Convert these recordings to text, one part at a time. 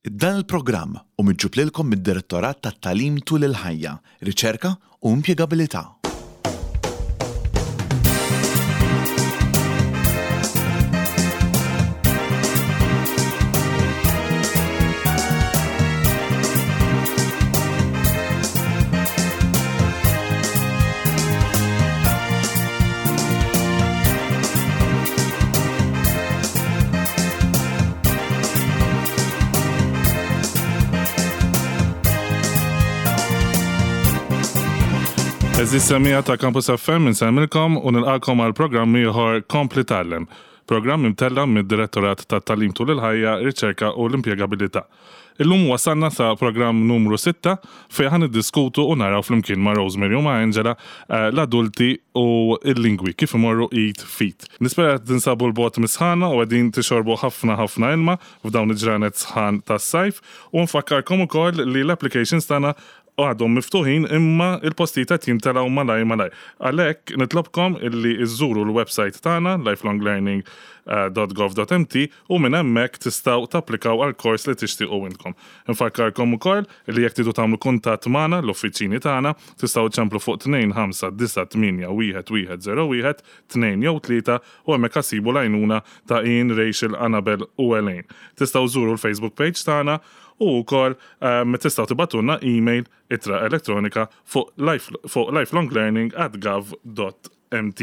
Dan il-programm hu miġġub lilkom mid-Direttorat tat-Tagħlim Tul il-Ħajja, Riċerka u Impjegabilità. Eżis semija ta' Campus FM insemmilkom u nilqakom għal programm ieħor Kompli Tgħallem. Programm imtella' mid-Direttorat tat-Tagħlim Tul il-Ħajja, Riċerka u l-Impjegabilità. Illum wasalna sa programm numru sitta fejn ħa niddiskutu u naraw flimkien ma' Rosemary u ma' Angela l-adulti u l-lingwi kif imorru id f'id. Nispera qed tinsabu 'l bogħod mis-sħana u qegħdin tixorbu ħafna ħafna ilma f'dawn il-ġranet sħan tas-sajf u nfakkarkom ukoll li l-applications tagħna għadhom miftuħin imma l-postijiet qed jimtelgħu malajr malajr. Għalhekk nitlobkom illi żżuru l-website tagħna lifelonglearning.gov.mt u minn hemmhekk tistgħu tapplikaw għall-kors li tixtiequ intkom. Infakkarkom ukoll li jekk tridu tagħmlu kuntatt magħna, l-uffiċini tagħna, tistgħu ċċemplu fuq 2598 1101 2 jew 3 u hemmhekk ħa ssibu l-għajnuna ta' Ian, Rachel, Annabel u Elaine. Tistgħu żżuru l-Facebook page tagħna u wkoll tistgħu tibgħatulna email, ittra elettronika, fuq fuq lifelonglearning@gov.mt.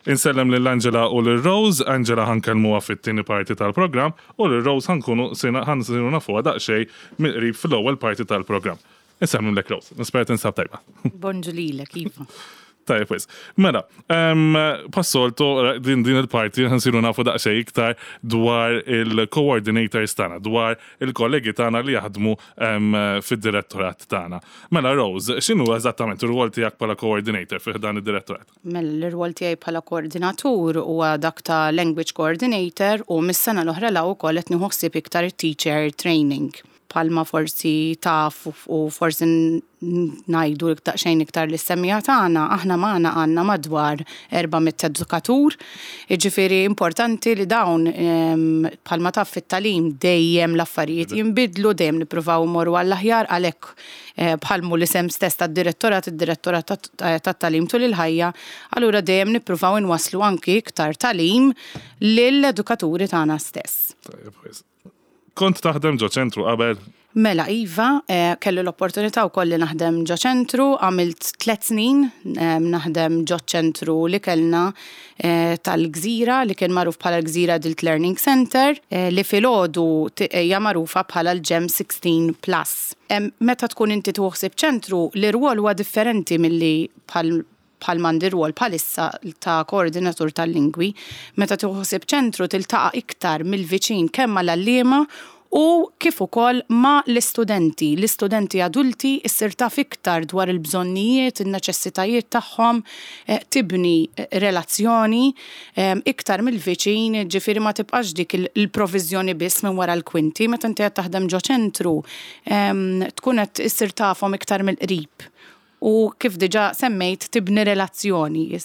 Insellem lil Angela u lil Rose, Angela ħa nkellmuha fit-tieni parti tal-programm u lil Rose ħa nkunu ħa nsiru nafuha daqsxejn mill-qrib fl-ewwel parti tal-programm. Insellmilek Rose, nispera tinsab tajba. Bonġu lilek, Iva. Tajjeb wisq. Mela, bħas-soltu din din il-parti nsiru nafu daqsxejn iktar dwar il-coordinators tagħna, dwar il-kollegi tagħna li jaħdmu fid-direttorat tagħna. Mela Rose, x'inhu eżattament ir-rwol tiegħek bħala coordinator fi ħdan id-direttorat? Mela l-irwol tiegħi bħala koordinatur huwa dak ta' language coordinator u mis-sena l-oħra 'l hawn ukoll qed nieħu ħsieb iktar it-teacher training. Bħalma forsi taf u forsi ngħidu daqsxejn iktar lis-semmiegħa tagħna, aħna magħna għandna madwar 400 edukatur. Jiġifieri importanti li dawn bħalma taf fit-tagħlim dejjem l-affarijiet jinbidlu, dejjem nippruvaw immorru għall-aħjar għalhekk bħal mhu l-isem stess tad-direttorat, id-Direttorat tat-Tagħlim Tul il-Ħajja, allura dejjem nippruvaw inwasslu anki iktar tagħlim lill-edukaturi tagħna stess. Tajjeb wisq. Kont taħdem ġo ċentru qabel? Mela iva, kelli l-opportunità wkoll li naħdem ġo ċentru, għamilt tlett snin naħdem ġo ċentru li kellna tal-Gżira li kien magħruf bħala l-Gżira Adult Learning Centre li filgħodu hija magħrufa bħala l-GEM 16 Plus. Meta tkun inti tieħu ħsieb ċentru, l-irwol huwa differenti milli bħal bħal m'għandi rwol bħalissa ta' koordinatur tal-lingwi, meta tieħu ħsieb ċentru tiltaqa' iktar mill-viċin kemm mal-għalliema u kif ukoll ma' l-istudenti. L-istudenti adulti issir taf iktar dwar il-bżonnijiet, in-neċessitajiet tagħhom, tibni relazzjoni iktar mill-viċin, ġifieri ma tibqax dik il-proviżjoni biss minn wara l-kwinti. Meta inti qed taħdem ġo ċentru tkun qed issir tafhom iktar mill-qrib U kif diġà semmejt tibni relazzjoni,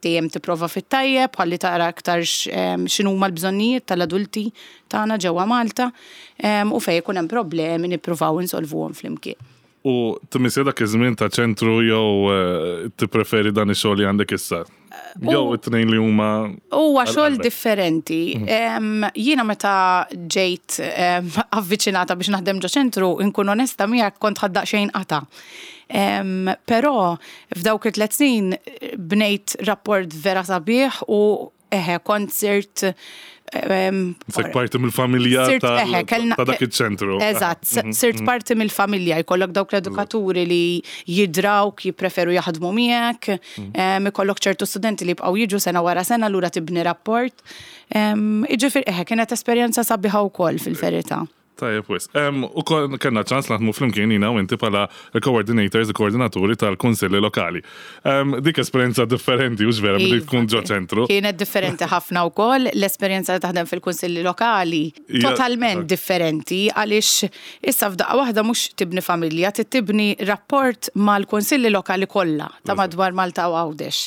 dejjem tipprova fit-tajjeb ħalli tara aktar x'inhuma l-bżonnijiet tal-adulti tagħna ġewwa Malta u fejn ikun hemm problemi nippruvaw insolvuhom flimkien. U tmissja dak iż-żmien ta' ċentru jew tippreferi dan ix-xogħol li għandek issa? Jew it-tnejn li huma. Huwa xogħol differenti. Jiena meta ġejt avviċinata biex naħdem ġo ċentru, inkun onesta miegħek kont ħadt daqsxejn qatgħa. Però f'dawk it-tliet snin bnejt rapport vera sabiħ u eħe kont sirt Sek parti mill-familja ta' dak iċ-ċentru. Eżatt, sirt parti mill-familja, jkollok dawk l-edukaturi li jidrawk, jippreferu jaħdmu miegħek, ikollok ċertu studenti li jibqgħu jiġu sena wara sena lura tibni rapport. Jiġifieri eħe kienet esperjenza sabiħa wkoll fil-verità. Tajjeb wisq. U kellna ċans naħdmu flimkien jiena u inti bħala l-coordinators, il-koordinaturi tal-kunsilli lokali. Dik esperjenza differenti, hux vera, milli tkun ġo ċentru. Kienet differenti ħafna wkoll, l-esperjenza li taħdem fil-kunsilli lokali totalment differenti għaliex issa f'daqqa waħda mhux tibni familja, trid tibni rapport mal-kunsilli lokali kollha ta' madwar Malta u Għawdex.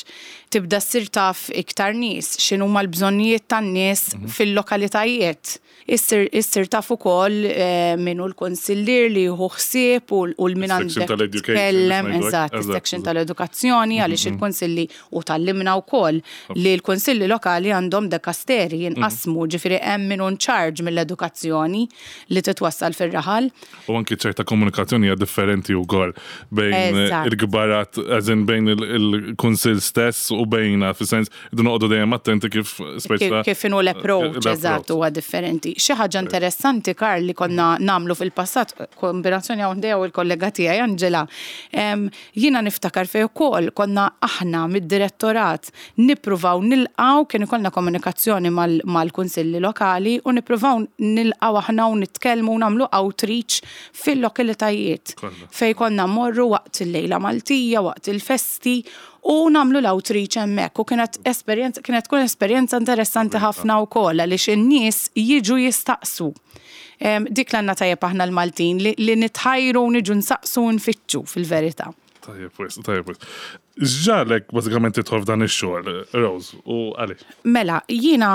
Tibda ssir taf iktar nies, x'inhuma l-bżonnijiet tan-nies fil-lokalitajiet. Issir issir taf ukoll ukoll min hu l-kunsillier li jieħu ħsieb u l-min għandek tkellem, eżatt, is-section tal-edukazzjoni għaliex il-kunsilli u tgħallimna wkoll li l-kunsilli lokali għandhom dekasteri jinqasmu, ġifieri hemm min hu in charge mill-edukazzjoni li titwassal fir-raħal. U anki ċerta komunikazzjoni hija differenti wkoll bejn il-kbarat, as in bejn il-kunsill stess u bejna, fis-sens irridu noqogħdu dejjem attenti kif speċa. Kif inhu l-approach, eżatt, huwa differenti. Xi ħaġa interessanti, Karl, li konna nagħmlu fil-passat, kombinazzjoni hawn ħdejja u l-kollega tiegħi Angela, Jiena niftakar fejn ukoll konna aħna mid-direttorat nippruvaw nilqgħu, kien ikollna komunikazzjoni mal-kunsilli lokali u nippruvaw nilqgħu aħna u nitkellmu u nagħmlu outreach fil-lokalitajiet fejn konna mmorru waqt il-Lejla Maltija, waqt il-festi u nagħmlu l-outreach hemmhekk u kienet esperjenza kienet tkun esperjenza interessanti ħafna wkoll għaliex in-nies jiġu jistaqsu. Dik l-għandna tajjeb aħna l-Maltin li nitħajru u niġu nsaqsu u nfittxu fil-verità. Tajjeb wisq, tajjeb wisq. X'ġagħlek bażikament tidħol f'dan ix-xogħol, Rose, u għaliex? Mela, jiena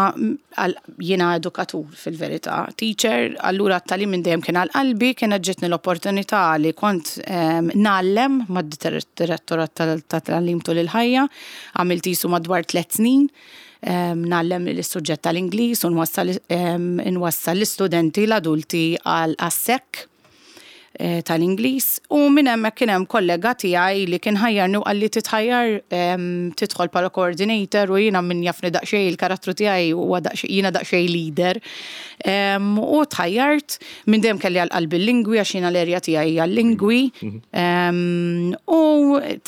jiena edukatur fil-verità, teacher, allura t-tagħlim minn dejjem kien għal qalbi, kienet ġietni l-opportunità li kont ngħallem mad-Direttorat tat-Tagħlim Tul il-Ħajja, għamilt qisu madwar tlett snin. Ngħallem is-suġġett tal-Ingliż u nwassal inwassal l-istudenti l-adulti għal għas-SEC tal-Ingliż u minn hemmhekk kien hemm kollega tiegħi li kien ħajjarni u qalli titħajjar tidħol bħala coordinator u jiena min jafni daqsxejn il-karattru tiegħi huwa daqsxejn jiena daqsxejn leader. U tħajjart, minn dejjem kelli għal qalbi l-lingwi għax jiena l-area tiegħi hija l-lingwi. U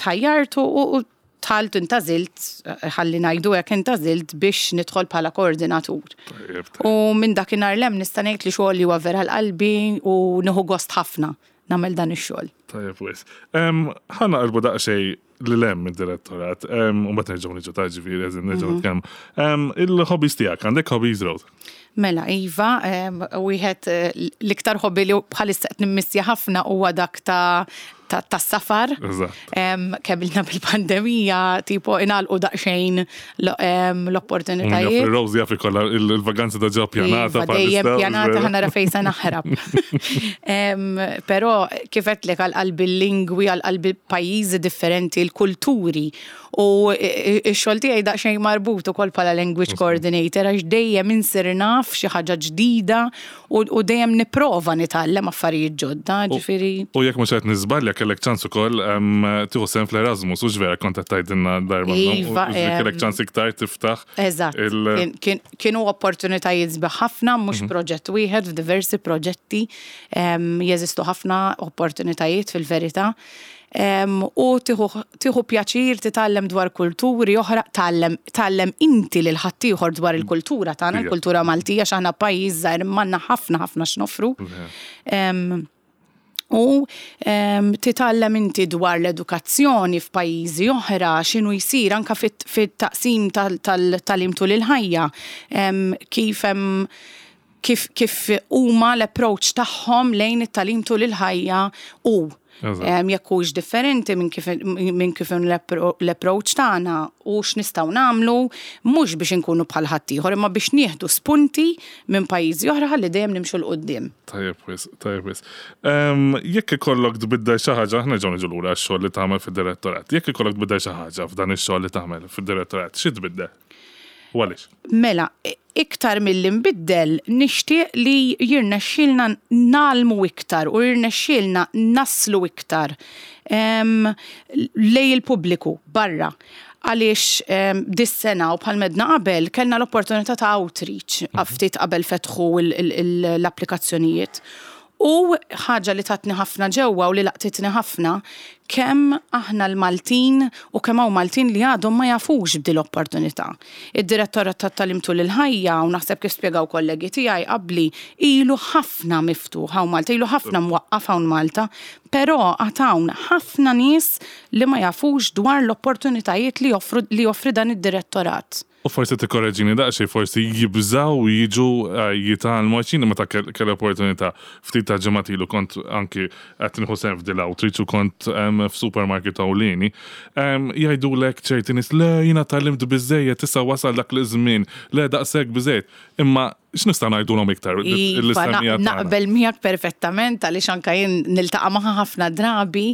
tħajjart u Dħalt intgħażilt, ħalli ngħidu hekk intgħażilt biex nidħol bħala koordinatur. U minn dakinhar 'l hemm nista' ngħid li xogħli huwa vera għal qalbi u nieħu gost ħafna nagħmel dan ix-xogħol. Tajjeb wisq. Ħa naqilbu daqsxejn lil hemm mid-direttorat, u mbagħad nerġgħu niġu ta' ġifieri eżin nerġgħu mhm. nitkellmu. Il-hobbies tiegħek, għandek hobbies Rose? Mela, Iva, wieħed eh, l-iktar hobby li bħalissa qed nimmissja ħafna huwa dak ta' tas-safar. Kemm ilna bil-pandemija, tipo inalqu daqsxejn l-opportunitajiet. Rose jaf ikollha il-vaganza ta' ġo pjanata. Iva, dejjem pjanata ħa nara fejn se naħrab. Però kif għedtlek għal qalbi l-lingwi, għal qalbi pajjiżi differenti, l-kulturi. U x-xogħol tiegħi daqsxejn marbut ukoll bħala language coordinator għax dejjem insir naf xi ħaġa ġdida u dejjem nipprova nitgħallem affarijiet ġodda, ġifieri. U jekk mhux qed niżbalja kellek ċans ukoll tieħu sehem fl-Erasmus, hux vera kont qed tgħidilna darba. Iva. Kellek ċans iktar tiftaħ. Eżatt. Kienu opportunitajiet sbieħ ħafna, mhux proġett wieħed, f'diversi proġetti. Jeżistu ħafna opportunitajiet fil-verità. U tieħu pjaċir titgħallem dwar kulturi oħra, tgħallem tgħallem inti lil ħaddieħor dwar il-kultura tagħna, il-kultura Maltija għax aħna pajjiż żgħir imma għandna ħafna ħafna x'noffru. U titgħallem inti dwar l-edukazzjoni f'pajjiżi oħra, x'inhu jsir anke fit-taqsim tal-tagħlim tul il-ħajja, kif hemm kif kif huma l-approach tagħhom lejn it-tagħlim tul il-ħajja u jekk hux differenti minn kif minn kif l-approach tagħna u x'nistgħu nagħmlu mhux biex inkunu bħal ħaddieħor imma biex nieħdu spunti minn pajjiżi oħra ħalli dejjem nimxu 'l quddiem. Tajjeb wisq, tajjeb wisq. Jekk ikollok tbiddel xi ħaġa, aħna nerġgħu niġu lura għax-xogħol li tagħmel fid-direttorat. Jekk ikollok tbiddel xi ħaġa f'dan ix-xogħol li tagħmel fid-direttorat, xi tbiddel? U għaliex? Mela, iktar milli nbiddel, nixtieq li jirnexxielna ngħallmu iktar u jirnexxielna naslu iktar lejn il-pubbliku barra. Għaliex dis-sena u bħal m'għedna qabel kellna l-opportunità ta' outreach ftit qabel fetħu l-applikazzjonijiet. U ħaġa li tatni ħafna ġewwa u li laqtitni ħafna, kemm aħna l-Maltin u kemm hawn Maltin li għadhom ma jafux b'din l-opportunità. Id-Direttorat tat-Tagħlim Tul il-Ħajja, u naħseb kif spjegaw kollegi tiegħi qabli, ilu ħafna miftuħ hawn Malta, ilu ħafna mwaqqaf hawn Malta, però għad hawn ħafna nies li ma jafux dwar l-opportunitajiet li joffru li joffri dan id-direttorat. U forsi tikkoreġini daqsxejn, forsi jibżgħu jiġu jitgħallmu għax jien meta kelli opportunità ftit ta' ġimgħat ilu kont anki qed nieħu sehem f'dil outreach u kont f'supermarket ewlieni, jgħidulek ċerti nies le jiena tgħallimt biżżejjed issa wasal dak l-żmien, le daqshekk biżżejjed. Imma x'nistgħu ngħidulhom iktar Iva, naqbel miegħek perfettament għaliex anke jien niltaqa' magħha ħafna drabi.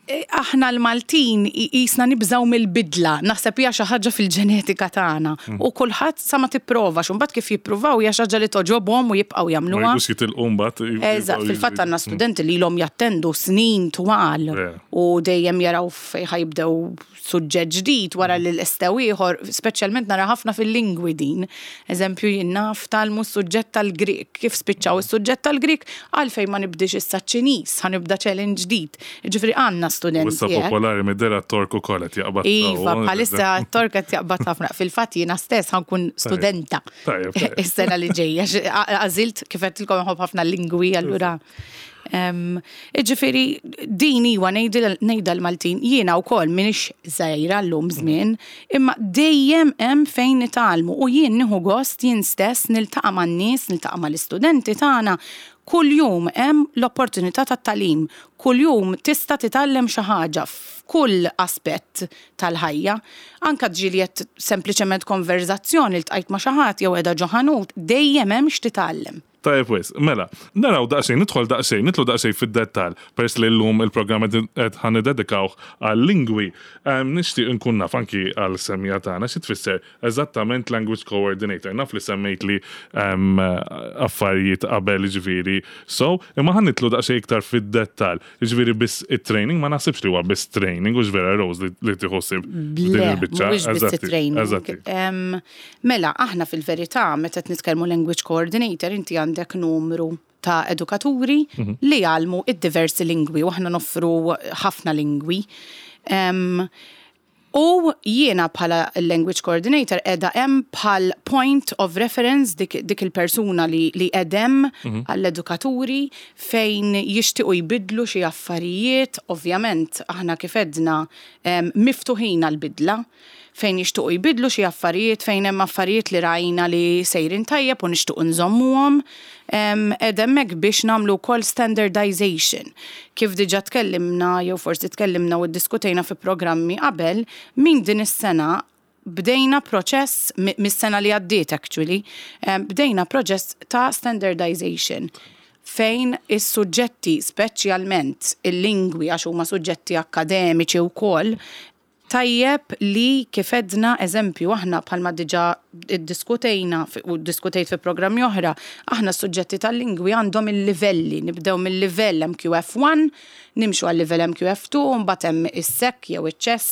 Aħna l-Maltin qisna nibżgħu mill-bidla, naħseb hija xi ħaġa fil-ġenetika tagħna. U kulħadd sa ma tipprovax, u mbagħad kif jippruvaw hija xi ħaġa li togħġobhom u jibqgħu jagħmluha. Ma jridux jitilqu mbagħad. Eżatt, fil-fatt għandna studenti li ilhom jattendu snin twal u dejjem jaraw fejn ħa jibdew suġġett ġdid wara li lestew ieħor, speċjalment nara ħafna fil-lingwi din. Eżempju, jien naf tgħallmu s-suġġett tal-Grieg, kif spiċċaw is-suġġett tal-Grieg, għalfejn ma nibdiex issa ċ-Ċiniż, ħa nibda challenge ġdid. Jiġifieri għandna studenti. U issa popolari mid-dehra t-Tork ukoll qed jaqbad. Iva, bħalissa t-Tork qed jaqbad ħafna. Fil-fatt jiena stess ħa nkun studenta is-sena li ġejja. Għażilt kif għedtilkom inħobb ħafna l-lingwi allura. Iġifieri din iwa ngħidha l-Maltin, jiena wkoll m'iniex żgħira llum żmien, imma dejjem hemm fejn nitgħallmu u jien nieħu gost jien stess niltaqa' man-nies, niltaqa' mal-istudenti tagħna, kuljum hemm l-opportunità tat-tagħlim, kuljum tista' titgħallem xi ħaġa f'kull aspett tal-ħajja. Anke ġieli qed sempliċement konverżazzjoni, ltqajt ma' xi ħadd jew qiegħda ġo ħanut, dejjem hemm x'titgħallem. Tajjeb wisq. Mela, naraw daqsxejn, nidħol daqsxejn, nidħlu daqsxejn fid-dettall, peress li llum il-programm qed ħa niddedikawh għal-lingwi. Nixtieq inkun naf anki għall-semmiegħa tagħna xi tfisser eżattament language coordinator. Naf li semmejtli affarijiet qabel jiġifieri so, imma ħa nidħlu daqsxejn iktar fid-dettall. Jiġifieri biss it-training ma naħsibx li huwa biss training, hux vera Rose li tieħu ħsieb din il-biċċa. Le, mhuwiex biss it-training. Eżatti. Mela, aħna fil-verità, meta qed nitkellmu language coordinator, inti għandek numru ta' edukaturi li jgħallmu id-diversi lingwi u aħna noffru ħafna lingwi. U jiena bħala language coordinator qiegħda hemm bħal point of reference dik, dik il-persuna li, li qiegħed hemm għall-edukaturi fejn jixtiequ jbiddlu xi affarijiet, ovvjament aħna kif għedna miftuħin għall-bidla. fejn jixtiequ jbiddlu xi affarijiet, fejn hemm affarijiet li rajna li sejrin tajjeb u nixtiequ nżommuhom. Qiegħda hemmhekk biex nagħmlu wkoll standardization. Kif diġà tkellimna jew forsi tkellimna u ddiskutejna fi programmi qabel, minn din is-sena bdejna proċess, mis-sena li għaddiet actually, bdejna proċess ta' standardization fejn is-suġġetti, speċjalment il-lingwi għax huma suġġetti akkademiċi wkoll, Tajjeb li kif għedna, eżempju, aħna bħalma diġà ddiskutejna u ddiskutejt fi programmi oħra, aħna s-suġġetti tal-lingwi għandhom il-livelli, nibdew mil-livell MQF1, nimxu għal-livell MQF2, mbagħad hemm is-SEC jew iċ-CES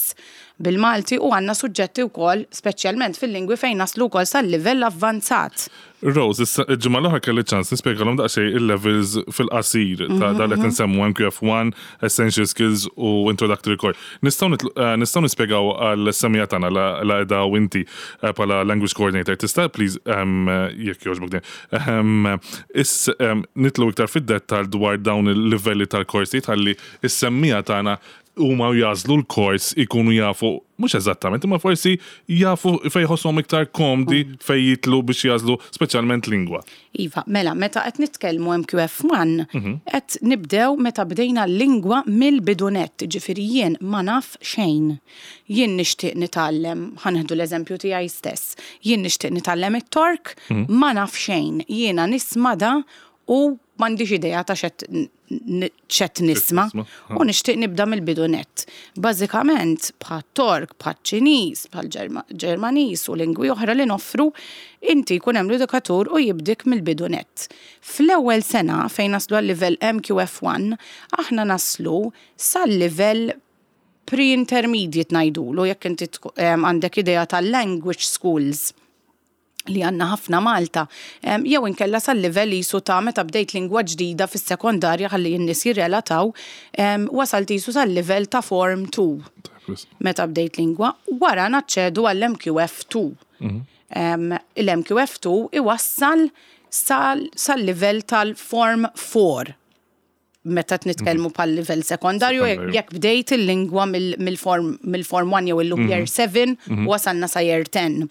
bil-Malti u għandna suġġetti wkoll speċjalment fil-lingwi fejn naslu wkoll sal-livell avvanzat. Rose, issa il-ġimgħa l-oħra kelli ċans nispjegalhom daqsxejn il-levels fil-qasir ta' dan li qed insemmu MQF1, Essential Skills u Introductory Core. Nistgħu eh, nistgħu nispjegaw għal semija tagħna la qiegħda u inti eh, bħala language coordinator. Tista' please ehm, jekk jogħġbok din. Ehm, is ehm, nitlu iktar fid-dettall dwar dawn il-livelli tal-korsijiet ħalli is-semmija tagħna huma u jagħżlu l-kors ikunu jafu, mhux eżattament, imma forsi jafu fejn jħossuhom iktar komdi fejn jidħlu biex jagħżlu speċjalment lingwa. Iva, mela, meta qed nitkellmu MQF1, qed nibdew meta bdejna l-lingwa mill-bidu nett, jiġifieri jien ma naf xejn. Jien nixtieq nitgħallem, ħa nieħdu l-eżempju tiegħi stess, jien nixtieq nitgħallem it-Tork, ma naf xejn, jiena nisma' da u m'għandix idea ta' x'qed x'qed nisma' u nixtieq nibda mill-bidu nett. Bażikament bħat-Tork, bħaċ-Ċiniż, bħall-Ġermaniż u lingwi oħra li noffru, inti jkun hemm l-edukatur u jibdik mill-bidu nett. Fl-ewwel sena fejn naslu għal-livell MQF1, aħna naslu sal-livell pre-intermediate ngħidulu jekk inti għandek idea tal-language schools li għandna ħafna Malta, jew inkella sal-livell qisu ta' meta bdejt lingwa ġdida fis-sekondarja ħalli n-nies jirrelataw, wasalt qisu sal-livell ta' Form 2. Meta bdejt lingwa, wara naċċedu għall-MQF 2. Il-MQF 2 iwassal sal-livell tal-Form 4. meta qed nitkellmu bħal livell sekondarju jekk bdejt il-lingwa mill-form mill-form 1 jew illum year 7 u wasalna sa year 10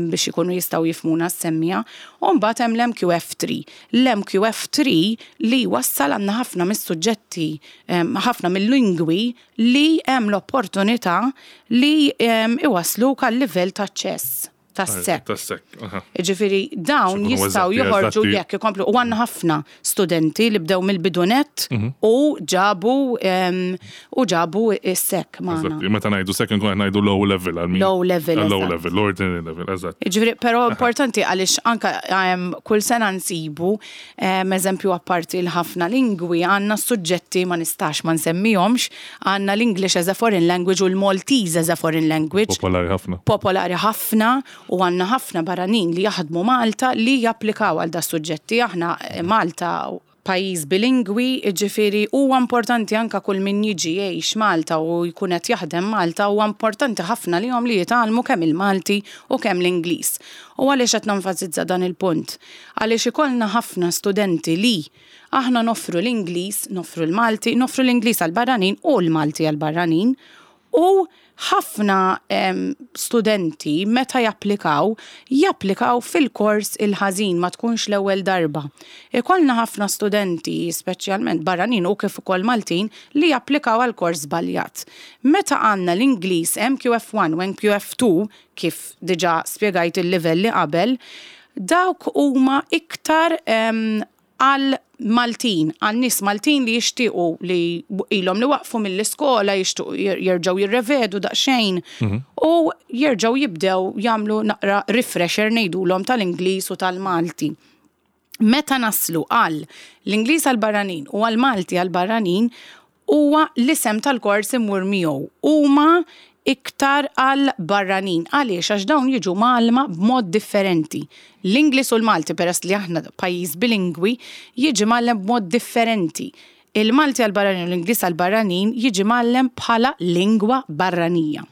biex ikunu jistgħu jifhmuna s-semmiegħa. U mbagħad hemm l-MQF3. L-MQF3 li jwassal għandna ħafna mis-suġġetti, ħafna mill-lingwi li hemm l-opportunità li iwassluk għal livell ta' ċess. Tas-SEC. Tas-SEC, aha. Jiġifieri dawn jistgħu joħorġu jekk ikomplu u għandna ħafna studenti li bdew mill-bidu nett u ġabu u ġabu s-SEC magħna. Meta ngħidu SEC inkunu qed ngħidu low level għal min. Low level. Low level, l-ordinary level, eżatt. Jiġifieri però importanti għaliex anke kull sena nsibu eżempju apparti l-ħafna lingwi għandna suġġetti ma nistax ma nsemmihomx Għandna l-English as a foreign language u l-Maltese as a foreign language. Popolari ħafna. Popolari ħafna u għandna ħafna barranin li jaħdmu Malta li japplikaw għal das-suġġetti. Aħna Malta pajjiż bilingwi, jiġifieri huwa importanti anke kull min jiġi jgħix Malta u jkun qed jaħdem Malta huwa importanti ħafna lihom li jitgħallmu kemm il-Malti u kemm l-Ingliż. U għaliex qed nenfasizza dan il-punt? Għaliex ikollna ħafna studenti li Aħna noffru l-Ingliż, noffru l-Malti, noffru l-Ingliż għall-barranin u l-Malti għall-barranin u ħafna studenti meta japplikaw, japplikaw fil-kors il-ħażin ma tkunx l-ewwel darba. Ikollna ħafna studenti, speċjalment barranin u kif ukoll Maltin, li japplikaw għal kors żbaljat. Meta għandna l-Ingliż MQF1 u MQF2, kif diġà spjegajt il-livelli qabel, dawk huma iktar għal Maltin, għal nies Maltin li jixtiequ li ilhom li waqfu mill-iskola, jixtiequ jerġgħu jirrevedu daqsxejn u jerġgħu jibdew jagħmlu naqra refresher ngħidulhom tal-Ingliż u tal-Malti. Meta naslu għal l-Ingliż għall-barranin u għall-Malti għall-barranin, huwa l-isem tal-kors imur miegħu. Huma iktar għal barranin. Għaliex? Għax dawn jiġu mgħallma b'mod differenti. L-Ingliż u l-Malti, peress li aħna pajjiż bilingwi, jiġi mgħallem b'mod differenti. Il-Malti għall-barranin u l-Ingliż għall-barranin jiġi mgħallem bħala lingwa barranija.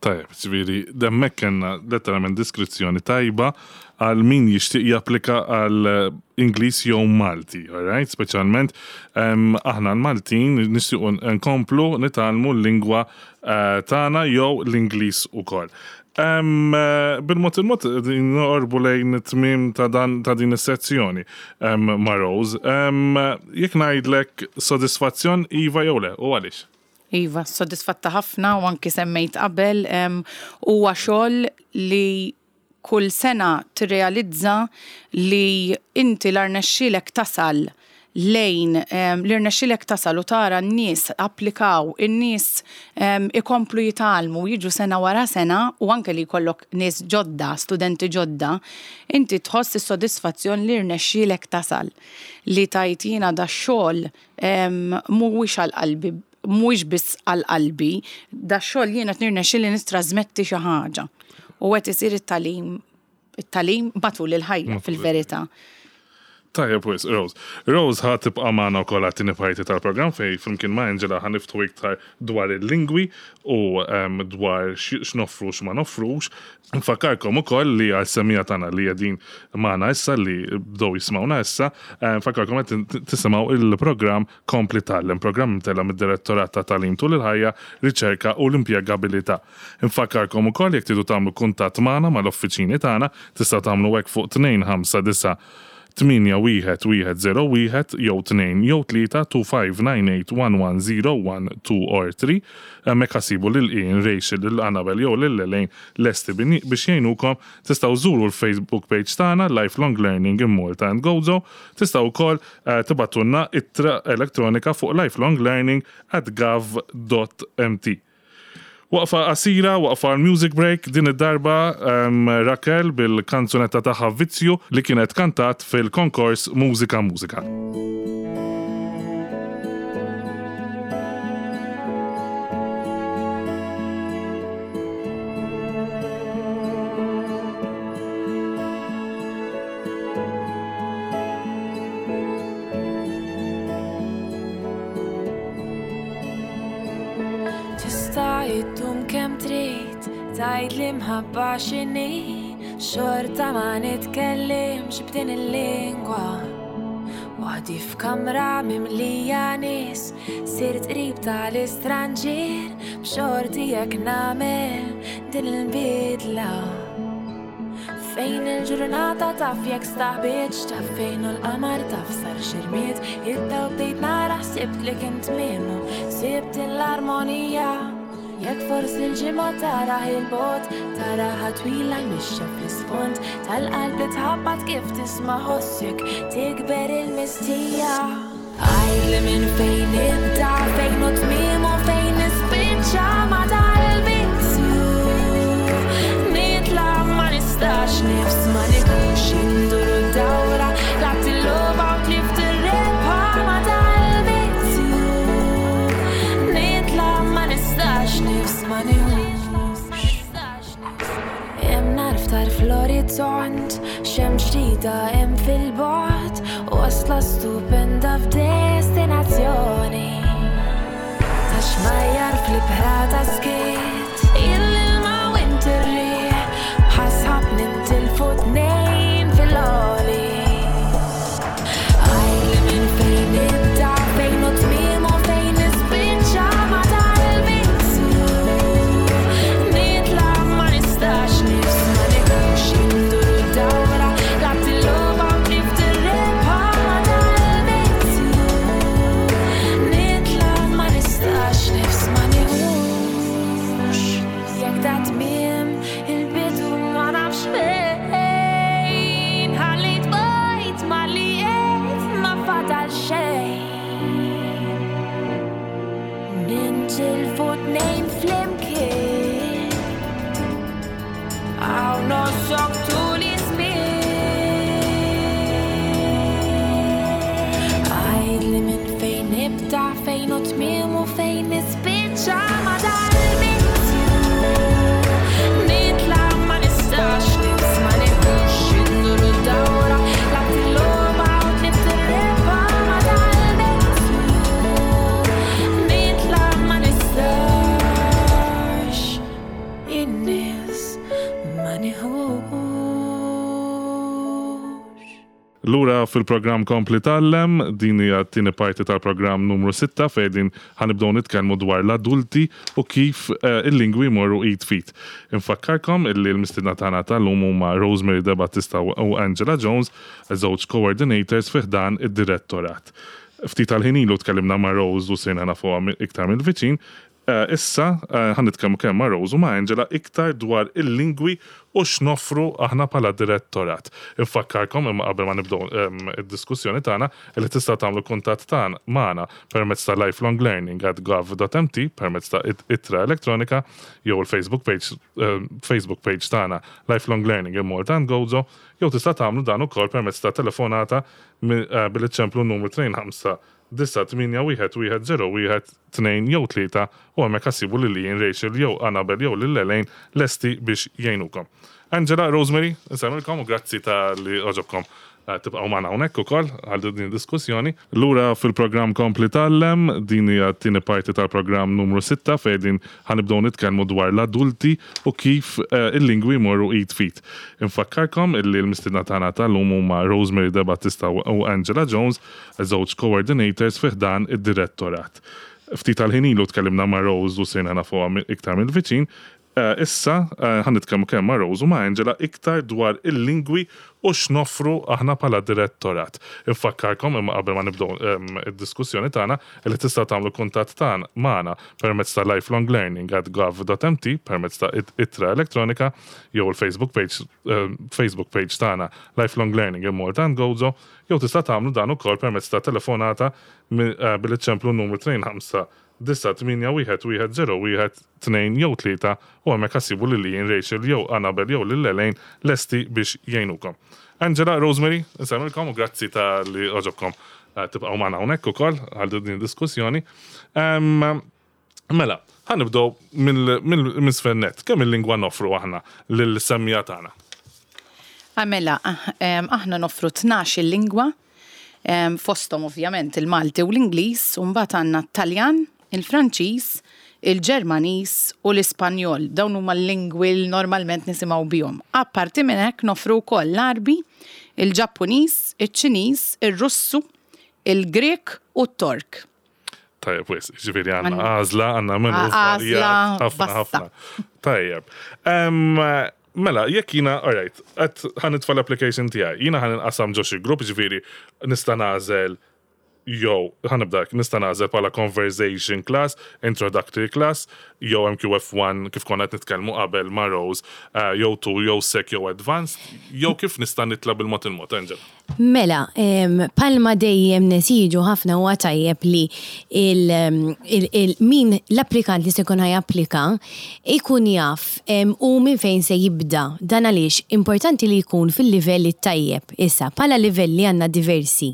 Tajjeb, ġifieri hemmhekk kellna letteralment diskrizzjoni tajba għal min jixtieq japplika għal Ingliż jew Malti, alright? Speċjalment aħna l-Maltin nixtiequ nkomplu nitgħallmu l-lingwa eh, tagħna jew l-Ingliż ukoll. Bil-mod il-mod noqorbu lejn it-tmiem ta' dan ta' din is-sezzjoni ma' Rose. Jekk ngħidlek sodisfazzjon iva jew le, u għaliex? Iva, sodisfatta ħafna u anki semmejt qabel, huwa xogħol li kull sena tirrealizza li inti la rnexxielek tasal lejn li rnexxielek tasal u tara n-nies applikaw, in-nies ikomplu jitgħallmu, jiġu sena wara sena u anke li jkollok nies ġodda, studenti ġodda, inti tħoss is-sodisfazzjon li rnexxielek tasal. Li tgħid jiena dax-xogħol Mhuwiex għal qalbi, mhuwiex biss għal qalbi, dax-xogħol jiena qed nirnexxieli nittrażmetti xi ħaġa. U qed isir it-tagħlim it-tagħlim matul il-ħajja fil-verità. Tajjeb wisq, Rose. Rose ħa tibqa' magħna wkoll għat-tieni parti tal-programm fejn flimkien ma' Angela ħa niftħu iktar dwar il-lingwi u dwar x'noffru u x'ma noffrux. Nfakkarkom ukoll li għal semmiegħa tagħna li qegħdin magħna issa li bdew jismgħuna issa, nfakkarkom qed tisimgħu il-programm Kompli Tgħallem, programm imtella' mid-Direttorat ta' Tagħlim Tul il-Ħajja, Riċerka u l-Impjegabilità. Nfakkarkom ukoll jekk tridu tagħmlu kuntatt magħna mal-uffiċini tagħna, tistgħu tagħmlu hekk fuq 259 8 1 1 0 1 jew 2 jew 3 2598 1 1 0 1 2 or 3. Hemmhekk ħa ssibu lil Ian, Rachel, lil Annabel jew lil Elaine lesti biex jgħinukom. Tistgħu żżuru l-Facebook page tagħna Lifelong Learning in Malta and Gozo. Tistgħu wkoll tibgħatulna ittra elettronika fuq lifelonglearning at gov dot mt. Waqfa qasira, waqfa għal music break, din id-darba Raquel bil-kanzunetta tagħha Vizzju li kienet kantat fil-konkors Mużika Mużika. Tista' iddum kemm trid tgħid li mħabba x'inhi, xorta ma nitkellimx b'din il-lingwa. Waħdi f'kamra mimlija nies, sirt qrib tal-istranġier, b'xorti jekk nagħmel din il-bidla. Fejn il-ġurnata taf jekk staħbietx, taf fejn hu l-qamar, taf sar xi rmied, id-dawl bdejt nara ħsibt li kien tmiemu, sibt l-armonija. Jekk forsi l-ġimgħa taraħ il-bogħod, taraha twila l-mixja fl-isfond tal-qalb li tħabbat kif tisma' ħossek tikber il-mistija. Għidli minn fejn nibda, fejn hu tmiem u fejn nispiċċa ma' dal-vizzju. Nitla' ma nistax nifs ma nieħux indur u dawra, lgħabt il-logħba u tlift ir-rebħa ma' dal-vizzju. Nitla' ma nistax nifs ma nieħux. Hemm nar f'tarf l-orizzont, xemx ġdida hemm fil-bogħod, wasla stupenda f'destinazzjoni. Ta' xmajjar fl-ibħra ta' skiet, il-ilma u int ir-riħ, bħas-sħab nintilfu tnejn fil-għoli. Għidli minn fejn nibda, fejn hu tmiem u fejn nispiċċa ma' dal-vizzju. Nitla' ma nistax nifs ma nieħux indur u dawra, lgħabt il-logħba u tlift ir-rebħa ma' dal-vizzju. Nitla' ma nistax nifs ma nieħux. Jekk da tmiem il-bidu ma nafx fejn, ħallit bajt ma li qed ma fadal xejn. Nintilfu tnejn flimkien, hawn nossok tul iż-żmien. Għidli minn fejn nibda, fejn hu tmiem u fejn nispiċċa ma' dal-vizzju. Nitla' ma nistax nifs ma nieħux indur u dawra, lgħabt il-logħba u tlift ir-rebħa ma' dal-vizzju. Nitla' ma nistax in-nies ma nieħux. Lura fil-programm Kompli Tgħallem, din hija t-tieni parti tal-programm numru 6 fejn din ħa nibdew nitkellmu dwar l-adulti u kif il-lingwi jmorru id f'id. Infakkarkom illi l-mistiedna tagħna tal-lum huma Rosemary De Battista u Angela Jones, żewġ coordinators fi ħdan id-direttorat. Ftit tal-ħin ilu tkellimna ma' Rose u sirna nafuha iktar mill-viċin. Issa ħa nitkellmu kemm ma' Rose u ma' Angela iktar dwar il-lingwi u x'noffru aħna bħala direttorat. Infakkarkom imma qabel ma nibdew id-diskussjoni tagħna li tistgħu tagħmlu kuntatt tagħna magħna permezz ta' lifelonglearning@gov.mt permezz ta' ittra elettronika jew il-Facebook page Facebook page tagħna Lifelong Learning in Malta and Gozo jew tista' tagħmlu dan ukoll permezz ta' telefonata billi ċċemplu n-numru 25 9 8 1 1 0 1 2 jew 3 u hemmhekk ħa ssibu lil Ian, Rachel jew Annabel jew lil Elaine lesti biex jgħinukom. Angela, Rosemary, insellmilkom u grazzi talli għoġobkom tibqgħu magħna hawnhekk ukoll għal din id-diskussjoni. Lura fil-programm Kompli Tgħallem, din hija t-tieni parti tal-programm numru 6 fejn din ħa nibdew nitkellmu dwar l-adulti u kif il-lingwi jmorru id f'id. Infakkarkom illi l-mistiedna tagħna tal-lum huma Rosemary De Battista u Angela Jones, żewġ coordinators fi ħdan id-direttorat. Ftit tal-ħin ilu tkellimna ma' Rose u sirna nafuha iktar mill-viċin. Issa ħa nitkellmu kemm ma' Rose u ma' Angela iktar dwar il-lingwi u x'noffru aħna bħala direttorat. Infakkarkom imma qabel ma nibdew id-diskussjoni tagħna li tistgħu tagħmlu kuntatt tagħna magħna permezz ta' lifelonglearning@gov.mt permezz ta' ittra elettronika jew il-Facebook page Facebook page tagħna Lifelong Learning in Malta and Gozo jew tista' tagħmlu dan ukoll permezz ta' telefonata billi ċċemplu n-numru 25 9 8 1 1 0 1 2 jew 3 u hemmhekk ħa ssibu lil Ian, Rachel jew Annabel jew lil Elaine lesti biex jgħinukom. Angela, Rosemary, insellmilkom u grazzi talli għoġobkom tibqgħu magħna hawnhekk ukoll għal din id-diskussjoni. Mela, ħa nibdew minn isfel nett. Kemm il-lingwa noffru aħna lill-semmiegħa tagħna? Mela, aħna noffru 12 il-lingwa, fosthom ovvjament il-Malti u l-Ingliż, u mbagħad għandna t-Taljan, il-Franċiż, il-Ġermaniż u l-Ispanjol. Dawn huma l-lingwi li normalment nisimgħu bihom. Apparti minn hekk noffru wkoll l-Għarbi, il-Ġappuniż, iċ-Ċiniż, ir-Russu, il-Grieg u t-Tork. Tajjeb, wisq, ġifieri għandna għażla, għandna menu Għażla ħafna vasta. ħafna. Tajjeb. Mela, jekk jiena, alright, qed ħa nitfa' l-application tiegħi, jiena ħa ninqasam ġo xi grupp, ġifieri nista' nagħżel jew ħa nibda hekk, nista' nagħżel bħala conversation class, introductory class, jew MQF1 kif konna qed nitkellmu qabel ma' Rose, jew 2, jew sec, jew advanced, jew kif nista' nitla' bil-mod il-mod, Angela? Mela, bħalma dejjem nesiġu ħafna huwa tajjeb li min l-applikant li se jkun ħa japplika jkun jaf hu minn fejn se jibda. Dan għaliex importanti li jkun fil-livell it-tajjeb. Issa, bħala livelli għandna diversi.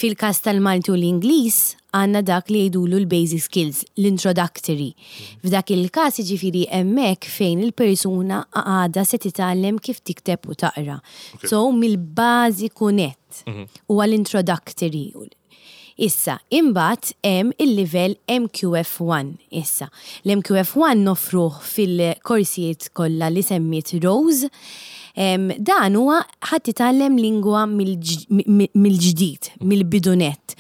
Fil-każ tal-Malti u l-Ingliż għandna dak li jgħidulu l-basic skills, l-introductory. F'dak il-każ jiġifieri hemmhekk fejn il-persuna għadha se titgħallem kif tikteb u taqra. So mill-bażiku nett huwa l-introductory. Issa, imbagħad hemm il-livell MQF1 issa. L-MQF1 noffruh fil-korsijiet kollha li semmiet Rose. Dan huwa ħa titgħallem lingwa mill-ġdid, mill-bidu nett.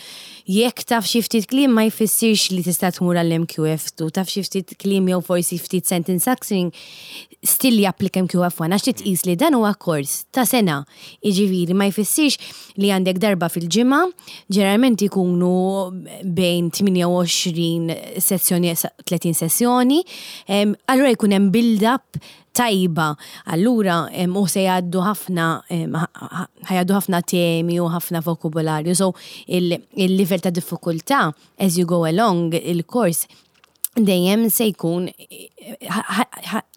Jekk taf xi ftit kliem ma jfissirx li tista' tmur għall-MQF2, taf xi ftit kliem jew forsi ftit sentence structuring, still japplika MQF1 għax trid tqis li dan huwa kors ta' sena. Jiġifieri ma jfissirx li għandek darba fil-ġimgħa, ġeneralment ikunu bejn 28 sessjoni 30 sessjoni, allura jkun hemm build-up tajba. Allura u se jgħaddu ħafna ħajgħaddu ħafna temi u ħafna vokabularju. So il-livell ta' diffikultà as you go along il-kors dejjem se jkun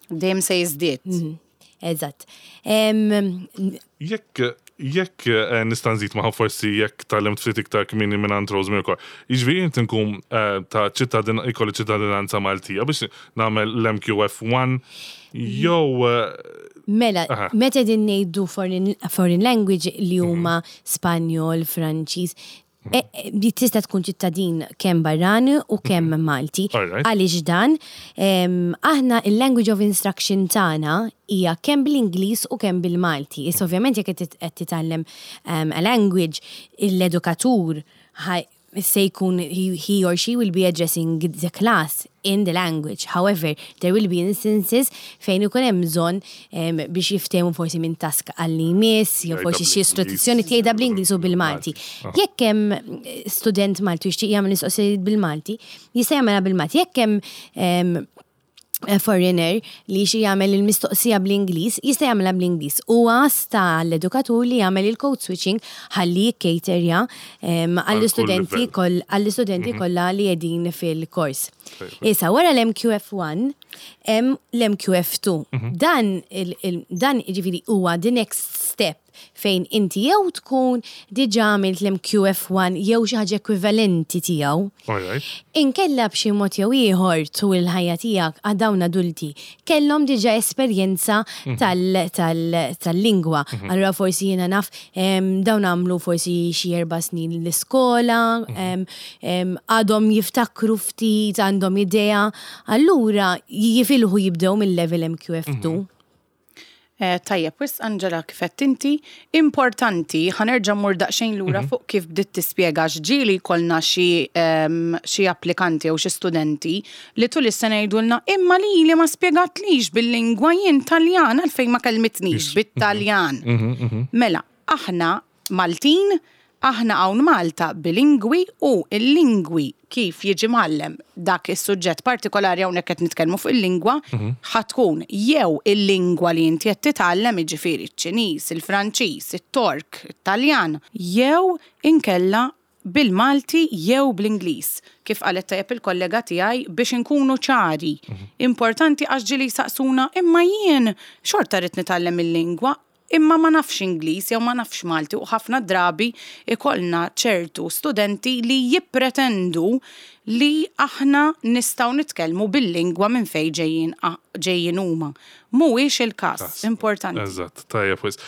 Dejjem se jiżdied. Eżatt. Jekk nista' nżid magħha forsi jekk tgħallimt ftit iktar kmieni mingħand Rosemary ukoll. Jiġifieri int inkun ta' ċittadin ikolli ċittadinanza Maltija biex nagħmel l-MQF1 jew Mela, meta qegħdin ngħidu foreign language li huma Spanjol, Franċiż, li tista' tkun ċittadin kemm barrani u kemm Malti. Għaliex dan, aħna il-language of instruction tagħna hija kemm bl-Ingliż u kemm bil-Malti. Issa ovvjament jekk qed titgħallem a language, l-edukatur se jkun he or she will be addressing the class in the language. However, there will be instances fejn ikun hemm bżonn biex jiftehmu forsi minn task għal li jmiss, jew forsi xi istruzzjoni tgħidha bl-Ingliż u bil-Malti. Jekk hemm student Malti jixtieq jagħmel mistoqsijiet bil-Malti, jista' jagħmelha bil-Malti. Jekk hemm foreigner li xi jagħmel il-mistoqsija bl-Ingliż, jista' jagħmilha bl-Ingliż. Huwa sta l-edukatur li jagħmel il-code switching ħalli jikkaterja għall-istudenti għall-istudenti kollha li qegħdin fil-kors. Issa wara l-MQF1 hemm l-MQF2. Dan jiġifieri huwa the next step fejn inti jew tkun diġà għamilt l-MQF1 jew xi ħaġa ekwivalenti tiegħu. Inkella b'xi mod jew ieħor tul il-ħajja tiegħek għad dawn adulti kellhom diġà esperjenza tal-lingwa. Allura forsi jiena naf dawn għamlu forsi xi 4 snin l-iskola, għadhom jiftakru ftit, għandhom idea. Allura jifilħu jibdew mill-level MQF2. Tajjeb, wisq Angela kif qed inti, importanti, ħa nerġa' mmur daqsxejn lura fuq kif bdiet tispjega x'ġieli jkollna xi applikanti jew xi studenti li tul is-sena jgħidulna imma lili ma spjegatlix bil-lingwa jien Taljan għalfejn ma kellmitnix bit-Taljan. Mela, aħna Maltin, aħna hawn Malta bilingwi u l-lingwi kif jiġi mgħallem dak is-suġġett partikolari hawnhekk qed nitkellmu fuq il-lingwa ħa tkun jew il-lingwa li inti qed titgħallem jiġifieri ċ-Ċiniż, il-Franċiż, it-Tork, it-Taljan, jew inkella bil-Malti jew bl-Ingliż. Kif qalet tajjeb il-kollega tiegħi biex inkunu ċari. Importanti għax ġieli jsaqsuna imma jien xorta rrid nitgħallem il-lingwa imma ma nafx Ingliż jew ma nafx Malti u ħafna drabi ikollna ċertu studenti li jippretendu li aħna nistgħu nitkellmu bil-lingwa minn fejn ġejjin ġejjin huma. Mhuwiex il-każ, importanti. Eżatt, tajjeb wisq.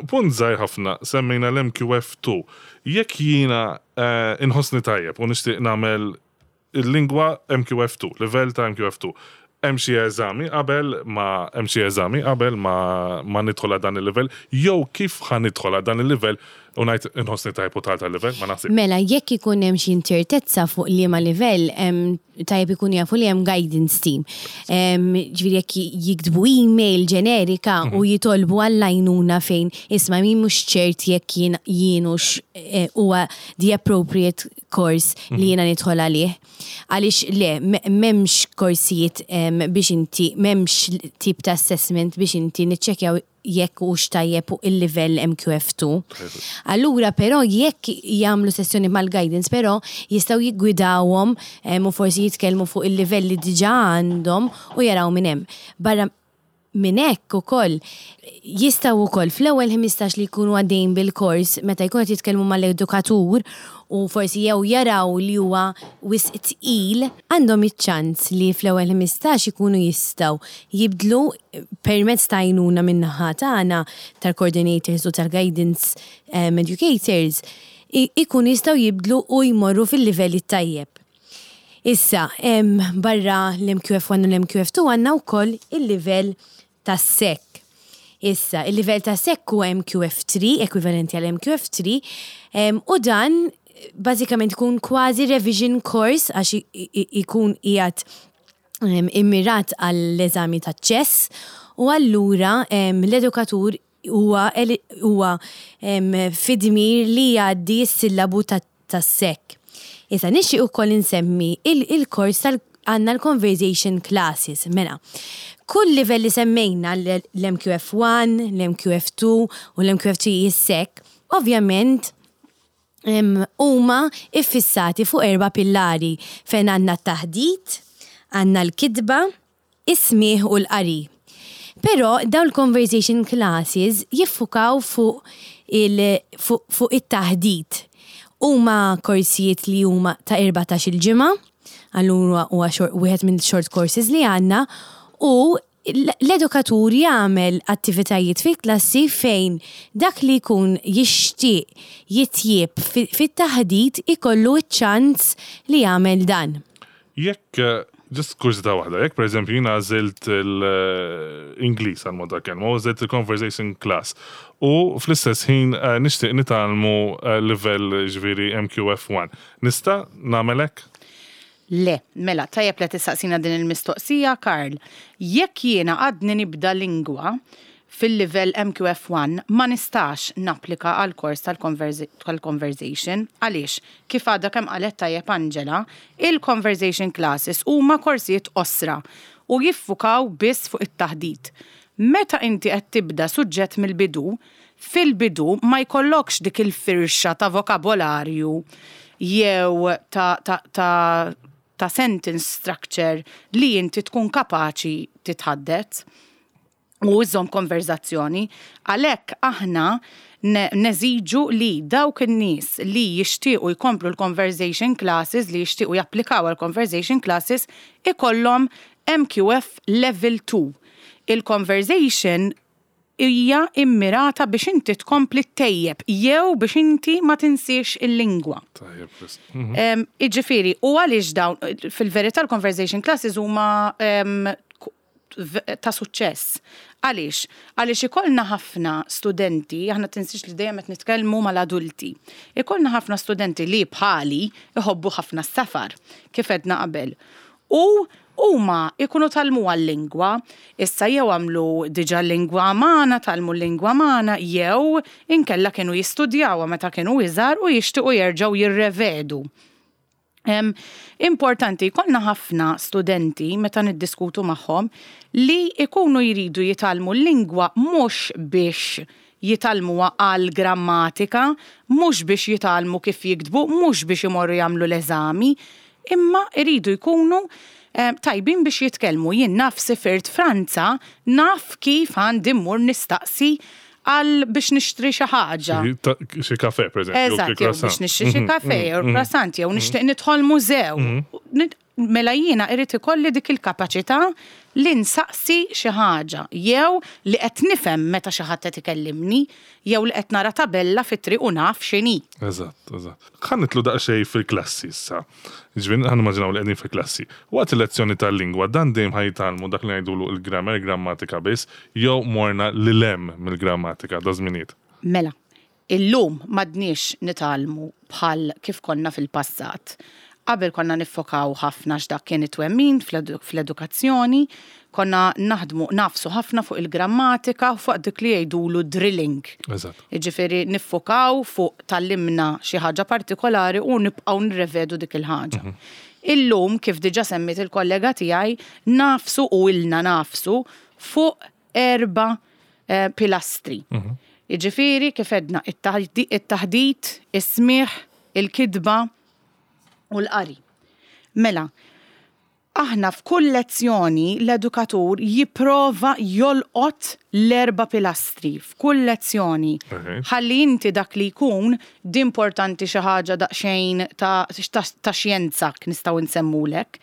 Punt żgħir ħafna, semmejna l-MQF2. Jekk jiena inħossni tajjeb u nixtieq nagħmel il-lingwa MQF2, livell ta' MQF2, hemm xi eżami qabel ma hemm xi eżami qabel ma ma nidħol għal dan il-livell jew kif ħa nidħol għal dan il-livell? U ngħid inħossni tajjeb u dħalt għal-livell, ma naħsibx. Mela, jekk ikun hemm xi inċertezza fuq liema livell, tajjeb ikunu jafu li hemm guidance team. Ġifieri jekk jiktbu email ġenerika u jitolbu għall-għajnuna fejn isma' min mhux ċert jekk jien jienux huwa the appropriate course li jiena nidħol għalih. Għaliex le, m'hemmx korsijiet biex inti, m'hemmx tip ta' assessment biex inti niċċekkjaw jekk hux tajjeb fuq il-livell MQF2. Allura però jekk jagħmlu sessjoni mal-guidance però jistgħu jiggwidawhom u forsi jitkellmu fuq il-livell li diġà għandhom u jaraw minn hemm. Barra minn hekk ukoll jistgħu wkoll fl-ewwel 15 li jkunu għaddejjin bil-kors meta jkunu qed jitkellmu mal-edukatur u forsi jew jaraw li huwa wisq tqil, għandhom iċ-ċans li fl-ewwel 15 ikunu jistgħu jibdlu permezz ta' għajnuna min-naħa tagħna tal-coordinators u tal-guidance educators, ikunu jistgħu jibdlu u jmorru fil-livell it-tajjeb. Issa, barra l-MQF1 u l-MQF2 għandna wkoll il-livell tas-SEC. Issa, il-livell ta' SEC huwa MQF3, ekwivalenti għal MQF3, u dan bażikament ikun kważi revision course għax ikun qiegħed immirat għall-eżami taċ-ċess u allura l-edukatur huwa huwa fid-dmir li jgħaddi s-sillabu tas-SEC. Issa nixtieq ukoll insemmi il-kors tal għandna l-conversation classes. Mela, kull livell li semmejna l-MQF1, l-MQF2 u l-MQF3 is-SEC, ovvjament huma iffissati fuq erba' pillari fejn għandna t-taħdit, għandna l-kitba, is-smigħ u l-qari. Però dawn il-conversation classes jiffukaw fuq il fuq it-taħdit. Huma korsijiet li huma ta' 14-il ġimgħa, allura huwa wieħed minn short courses li għandna u l-edukatur jagħmel attivitajiet fil-klassi fejn dak li jkun jixtieq jitjieb fit-taħdit ikollu ċ-ċans li jagħmel dan. Jekk, just kurżità waħda, jekk pereżempju jiena għażilt l-Ingliż għal mod tal-kelma u għażilt il-conversation class u fl-istess ħin nixtieq nitgħallmu livell jiġifieri MQF1, nista' nagħmel hekk? Le, mela, tajjeb li tistaqsina din il-mistoqsija, Karl. Jekk jiena għadni nibda lingwa fil-livell MQF1, ma nistax napplika għal kors tal-conversation. Għaliex, kif għadha kemm qalet tajjeb Angela, il-conversation classes huma korsijiet qosra u jiffukaw biss fuq it-taħdit. Meta inti qed tibda suġġett mill-bidu, fil-bidu ma jkollokx dik il-firxa ta' vokabolarju jew ta' ta' ta' ta' sentence structure li inti tkun kapaċi titħaddet u iżżomm konverżazzjoni. Għalhekk aħna neżiġu li dawk in-nies li jixtiequ jkomplu l-conversation classes, li jixtiequ japplikaw għall-conversation classes, ikollhom MQF Level 2. Il-conversation hija immirata biex inti tkompli ttejjeb jew biex inti ma tinsiex il-lingwa. Tajjeb, wisq. Jiġifieri, u għaliex dawn, fil-verità l-conversation classes huma ta' suċċess. Għaliex? Għaliex ikollna ħafna studenti, aħna tinsiex li dejjem qed nitkellmu mal-adulti. Ikollna ħafna studenti li bħali iħobbu ħafna s-safar, kif għedna qabel. U huma jkunu tgħallmuha l-lingwa, issa jew għamlu diġà l-lingwa magħna, tgħallmu l-lingwa magħna, jew inkella kienu jistudjawha meta kienu iżgħar u jixtiequ jerġgħu jirrevedu. Importanti, jkollna ħafna studenti meta niddiskutu magħhom li jkunu jridu jitgħallmu l-lingwa mhux biex jitgħallmuha għall-grammatika, mhux biex jitgħallmu kif jiktbu, mhux biex imorru jagħmlu l-eżami, imma jridu jkunu tajbin biex jitkellmu. Jien naf sifirt Franza, naf kif għandi mmur nistaqsi għal biex nixtri xi ħaġa. Xi kafè, per eżempju. Eżatt, jew biex nixtri xi kafè jew croissant, jew nixtieq nidħol mużew. Mela jiena irid ikolli dik il-kapaċità li nsaqsi xi ħaġa jew li qed nifhem meta xi ħadd qed ikellimni jew li qed nara tabella fit-triq u naf x'inhi. Eżatt, eżatt. Ħa nidħlu daqsxejn fil-klassi issa. Jiġifieri ħa nimmaġinaw li qegħdin fil-klassi. Waqt il-lezzjoni tal-lingwa dan dejjem ħa jitgħallmu dak li ngħidulu l-grammar, il-grammatika biss, jew morna lil hemm mill-grammatika daż-żminijiet? Mela. Illum m'għadniex nitgħallmu bħal kif konna fil-passat. Qabel konna niffokaw ħafna x'dak kien it-twemmin fl-edukazzjoni, konna naħdmu nagħfsu ħafna fuq il-grammatika u fuq dik li jgħidulu drilling. Jiġifieri niffokaw fuq tgħallimna xi ħaġa partikolari u nibqgħu nirrevedu dik il-ħaġa. Illum, kif diġà semmiet il-kollega tiegħi, nagħfsu u ilna nagħfsu fuq erba' pilastri. Jiġifieri kif għedna it-taħdit, is-smigħ, il-kitba u l-qari. Mela, aħna f'kull lezzjoni l-edukatur jipprova jolqot l-erba' pilastri f'kull lezzjoni. Ħalli inti dak li jkun di importanti xi ħaġa daqsxejn ta' ta' xjenza nistgħu nsemmulek.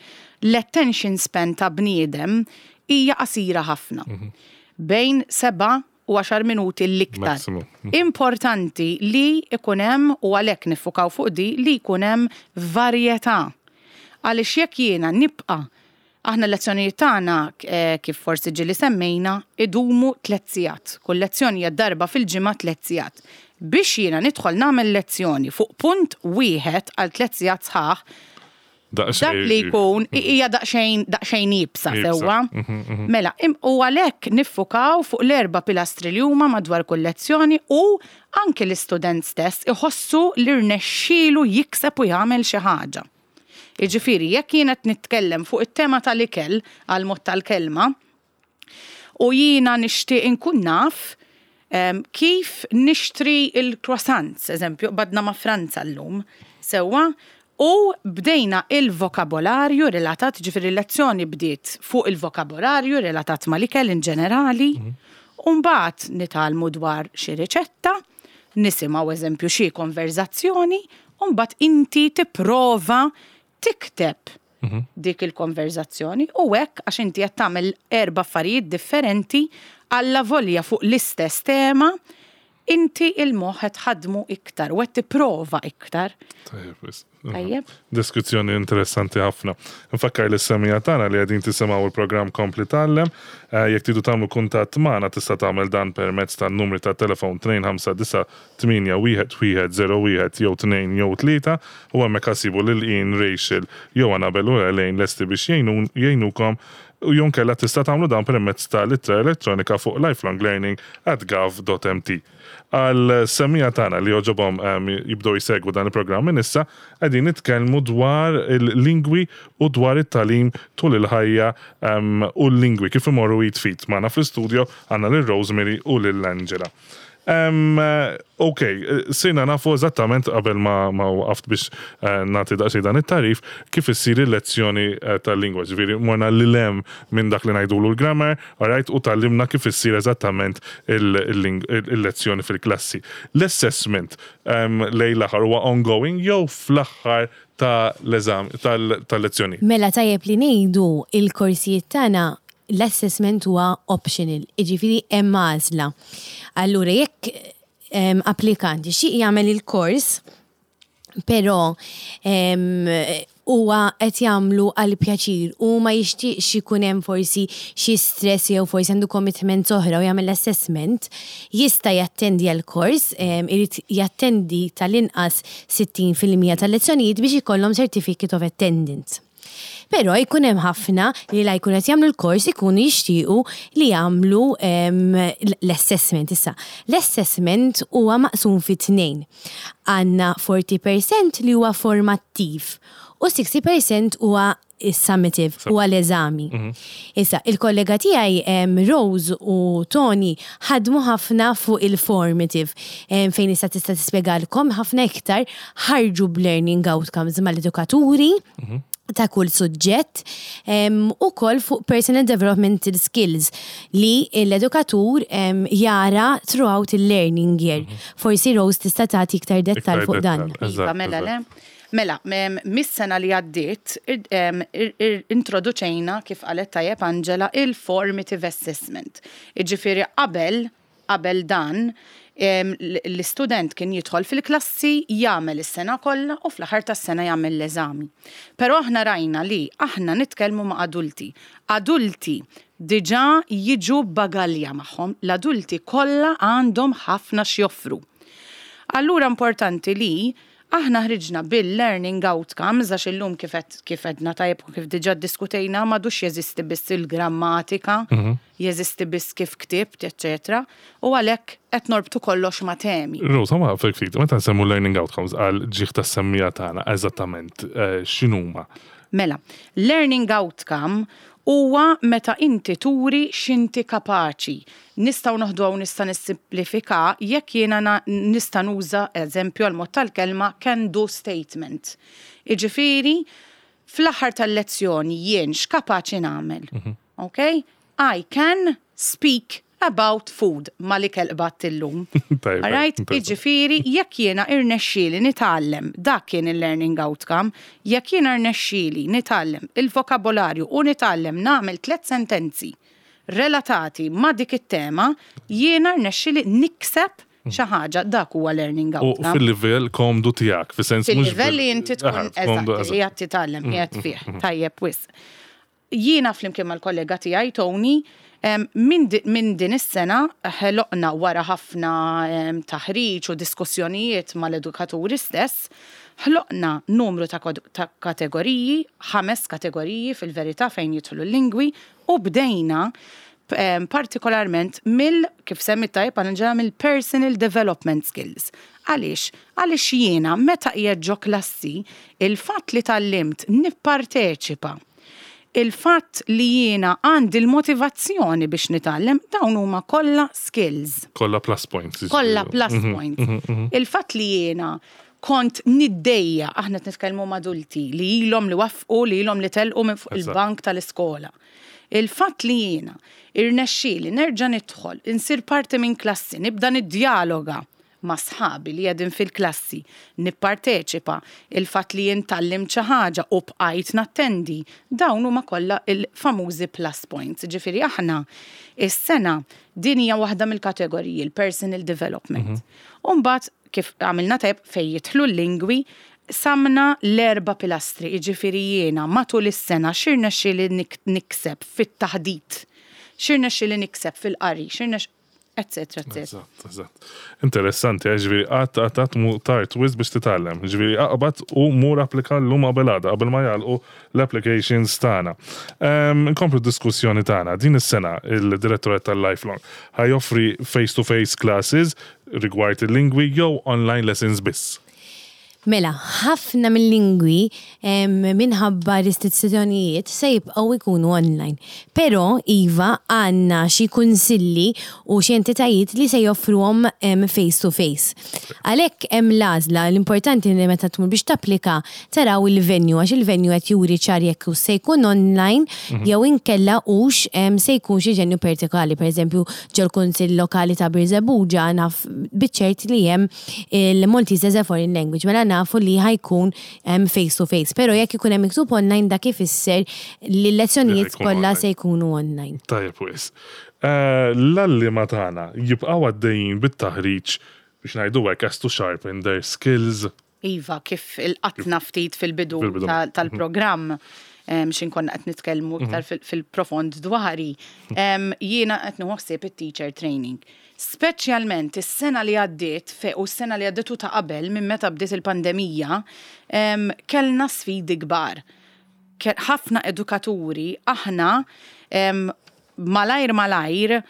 L-attention span ta' bniedem hija qasira ħafna. Bejn seba' u għaxar minuti l-iktar. Importanti li jkun hemm, u għalhekk niffukaw fuq di, li jkun hemm varjetà. Għaliex jekk jiena nibqa' aħna l-lezzjonijiet tagħna kif forsi ġieli semmejna, idumu tliet sigħat. Kull lezzjoni hija darba fil-ġimgħa tliet sigħat. Biex jiena nidħol nagħmel lezzjoni fuq punt wieħed għal tliet sigħat sħaħ, Dak li jkun hija daqsxejn daqsxejn iebsa sewwa. Mela, u għalhekk niffukaw fuq l-erba' pilastri li huma madwar kull lezzjoni u anke l-istudent stess iħossu li rnexxielu jikseb u jagħmel xi ħaġa. Jiġifieri jekk jien qed nitkellem fuq it-tema tal-ikel għall-mod tal-kelma, U jiena nixtieq inkun naf kif nixtri l-croissants, eżempju, qbadna ma' Franza llum, sewwa, u bdejna il-vokabolarju relatat, ġifieri l-lezzjoni bdiet fuq il-vokabolarju relatat mal-ikel in ġenerali, u mbagħad nitgħallmu dwar xi riċetta, nisimgħu eżempju xi konverżazzjoni, u mbagħad inti tipprova tikteb dik il-konverżazzjoni u hekk għax inti qed tagħmel erba' affarijiet differenti allavolja fuq l-istess tema, inti il-moħħ qed tħaddmu iktar u qed tipprova iktar. Tajjeb, wisq. Tajjeb. Deskrizzjoni interessanti ħafna. Nfakkar lis semija tagħna li qegħdin tisimgħu l-programm Kompli Tgħallem. Eh, jekk tridu tagħmlu kuntatt magħna tista' tagħmel dan permezz tan-numri tat-telefon 259 8 1 1 0 1 jew 2 jew 3 u hemmhekk ħa ssibu lil Ian, Rachel jew Annabel u Elaine lesti biex jgħinukom u jew inkella tista' tagħmlu dan permezz ta' l-ittra elettronika fuq lifelonglearning at gov dot mt. Għal semmiegħa tagħna li jogħġobhom jibdew jsegwu dan il-programm minn issa, qegħdin nitkellmu dwar il-lingwi u dwar it-tagħlim tul il-ħajja u l-lingwi kif imorru id f'id. Magħna fl-istudio għandna lil Rosemary u lil Angela. Ok, sirna nafu eżattament qabel ma, ma waqaft biex eh, nagħti daqsxejn dan it-tarif kif issir il-lezzjoni eh, tal-lingwa. Ġifieri morna lil hemm minn dak li ngħidulu l-grammar, alright, u tgħallimna kif issir eżattament il-lezzjoni fil-klassi. L-assessment lejn l-aħħar huwa ongoing jew fl-aħħar ta' l-eżami tal-lezzjoni. Mela tajjeb li ngħidu il-korsijiet tagħna l-assessment huwa optional, jiġifieri hemm għażla. Allura jekk applikant jixtieq jagħmel il-kors, però huwa qed jagħmlu għal pjaċir u ma jixtieqx ikun hemm forsi xi stress jew forsi għandu commitments oħra u jagħmel l-assessment, jista' jattendi għall-kors, irid jattendi tal-inqas 60% tal-lezzjonijiet biex ikollhom certificate of attendance. Però jkun hemm ħafna li la jkunu qed jagħmlu l-kors ikunu jixtiequ li jagħmlu l-assessment issa. L-assessment huwa maqsum fi tnejn. Għandna 40% li huwa formattiv u 60% huwa is-summative huwa l-eżami. Issa, il-kollega tiegħi Rose u Tony ħadmu ħafna fuq il-formative fejn issa tista' tispjegalkom ħafna iktar ħarġu b'learning outcomes mal-edukaturi ta' kull suġġett ukoll fuq personal developmental skills li l-edukatur jara throughout il-learning year. Forsi Rose tista' tagħti iktar dettall fuq dan. Iva, mela le. Mela, mis-sena li għaddiet introduċejna, kif qalet tajjeb Angela, il-formative assessment. Jiġifieri qabel, qabel dan, l-istudent kien jidħol fil-klassi, jagħmel is-sena kollha u fl-aħħar tas-sena jagħmel l-eżami. Però aħna rajna li aħna nitkellmu ma' adulti. Adulti diġà jiġu b'bagalja magħhom. L-adulti kollha għandhom ħafna x'joffru. Allura importanti li aħna ħriġna bil-learning outcomes għax illum kif qed kif għedna tajjeb u kif diġà ddiskutejna m'għadux jeżisti biss il-grammatika, jeżisti biss kif ktibt, eċċetera, u għalhekk qed norbtu kollox ma' temi. Rose, ħa nwaqqfek ftit, meta nsemmu learning outcomes għal ġieħ tas-semmiegħa tagħna eżattament x'inhuma? Mela, learning outcome huwa meta inti turi x'inti kapaċi. Nistgħu noħduha u nista' nissimplifika jekk jiena nista' nuża, eżempju għall-mod tal-kelma, can do statement. Jiġifieri, fl-aħħar tal-lezzjoni jien x'kapaċi nagħmel. Ok? I can speak about food mal-ikel qbadt illum. Alright? Jiġifieri jekk jiena irnexxieli nitgħallem, dak kien il-learning outcome, jekk jiena rnexxieli nitgħallem il-vokabolarju u nitgħallem nagħmel tlett sentenzi relatati ma' dik it-tema, jiena rnexxieli nikseb xi ħaġa, dak huwa learning outcome. U fil-livell komdu tiegħek, fis-sens mhux. Fil-livell li inti tkun eżatt li qed titgħallem qiegħed fih. Tajjeb wisq. Jiena flimkien mal-kollega tiegħi Tony, minn din is-sena ħloqna wara ħafna taħriġ u diskussjonijiet mal-edukaturi stess, ħloqna numru ta' kategoriji, ħames kategoriji fil-verità fejn jidħlu l-lingwi u bdejna partikolarment mill, kif semmit tajjeb Angela, mill-personal development skills. Għaliex? Għaliex jiena meta qiegħed ġo klassi, il-fatt li tgħallimt nipparteċipa, il-fatt li jiena għandi l-motivazzjoni biex nitgħallem, dawn huma kollha skills. Kollha plus points. Kollha plus points. Il-fatt li jiena kont niddejja, aħna qed nitkellmu ma' adulti li ilhom li waffqu, li ilhom li telqu minn fuq il-bank tal-iskola. Il-fatt li jiena irnexxieli nerġa' nidħol, insir parti minn klassi, nibda niddjaloga ma' sħabi li qegħdin fil-klassi, nipparteċipa, il-fatt li jien tgħallimt xi ħaġa u bqajt nattendi, dawn huma kollha l-famużi plus points. Ġifieri aħna is-sena din hija waħda mill-kategoriji, l-personal development. U mbagħad kif għamilna tajjeb fejn jidħlu l-lingwi, qsamna l-erba' pilastri, jiġifieri jiena matul is-sena x'irnexxieli nikseb fit-taħdit, x'irnexxieli nikseb fil-qari, x'irnex eċċetera eċċetera. Eżatt, eżatt. Interessanti, eh, ġifieri qatt qatt qatt mhu tard wisq biex titgħallem. Ġifieri aqbad u mur applika llum qabel għada, qabel ma jagħlqu l-applications tagħna. Ehm, nkomplu d-diskussjoni tagħna. Din is-sena il-Direttorat tal-Lifelong ħa joffri face-to-face classes rigward il-lingwi jew online lessons biss. Mela, ħafna mil-lingwi minħabba restrizzjonijiet se jibqgħu jkunu online. Però, iva, għandna xi kunsilli u xi entitajiet li se joffruhom face to face. Għalhekk hemm l-għażla, l-importanti li meta tmur biex tapplika taraw il-venue għax il-venue qed juri ċar jekk hux se jkun online jew inkella hux se jkun xi venue partikolari. Pereżempju, ġol-Kunsill Lokali ta' Birżebbuġa naf biċ-ċert li hemm il-Maltese as a Foreign Language, mela nafu li ħa jkun face to face. Però jekk ikun hemm miktub online dak ifisser li l-lezzjonijiet kollha se jkunu online. Tajjeb wisq. L-għalliema tagħna jibqgħu għaddejjin bit-taħriġ biex ngħidu hekk as to sharpen their skills? Iva, kif ilqatna ftit fil-bidu tal-programm, x'in konna qed nitkellmu iktar fil-profond dwari, jiena qed nieħu ħsieb it-teacher training. Speċjalment is-sena li għaddiet u s-sena li għaddiet u ta' qabel minn meta bdiet il-pandemija, kellna sfidi kbar. Ħafna edukaturi aħna malajr malajr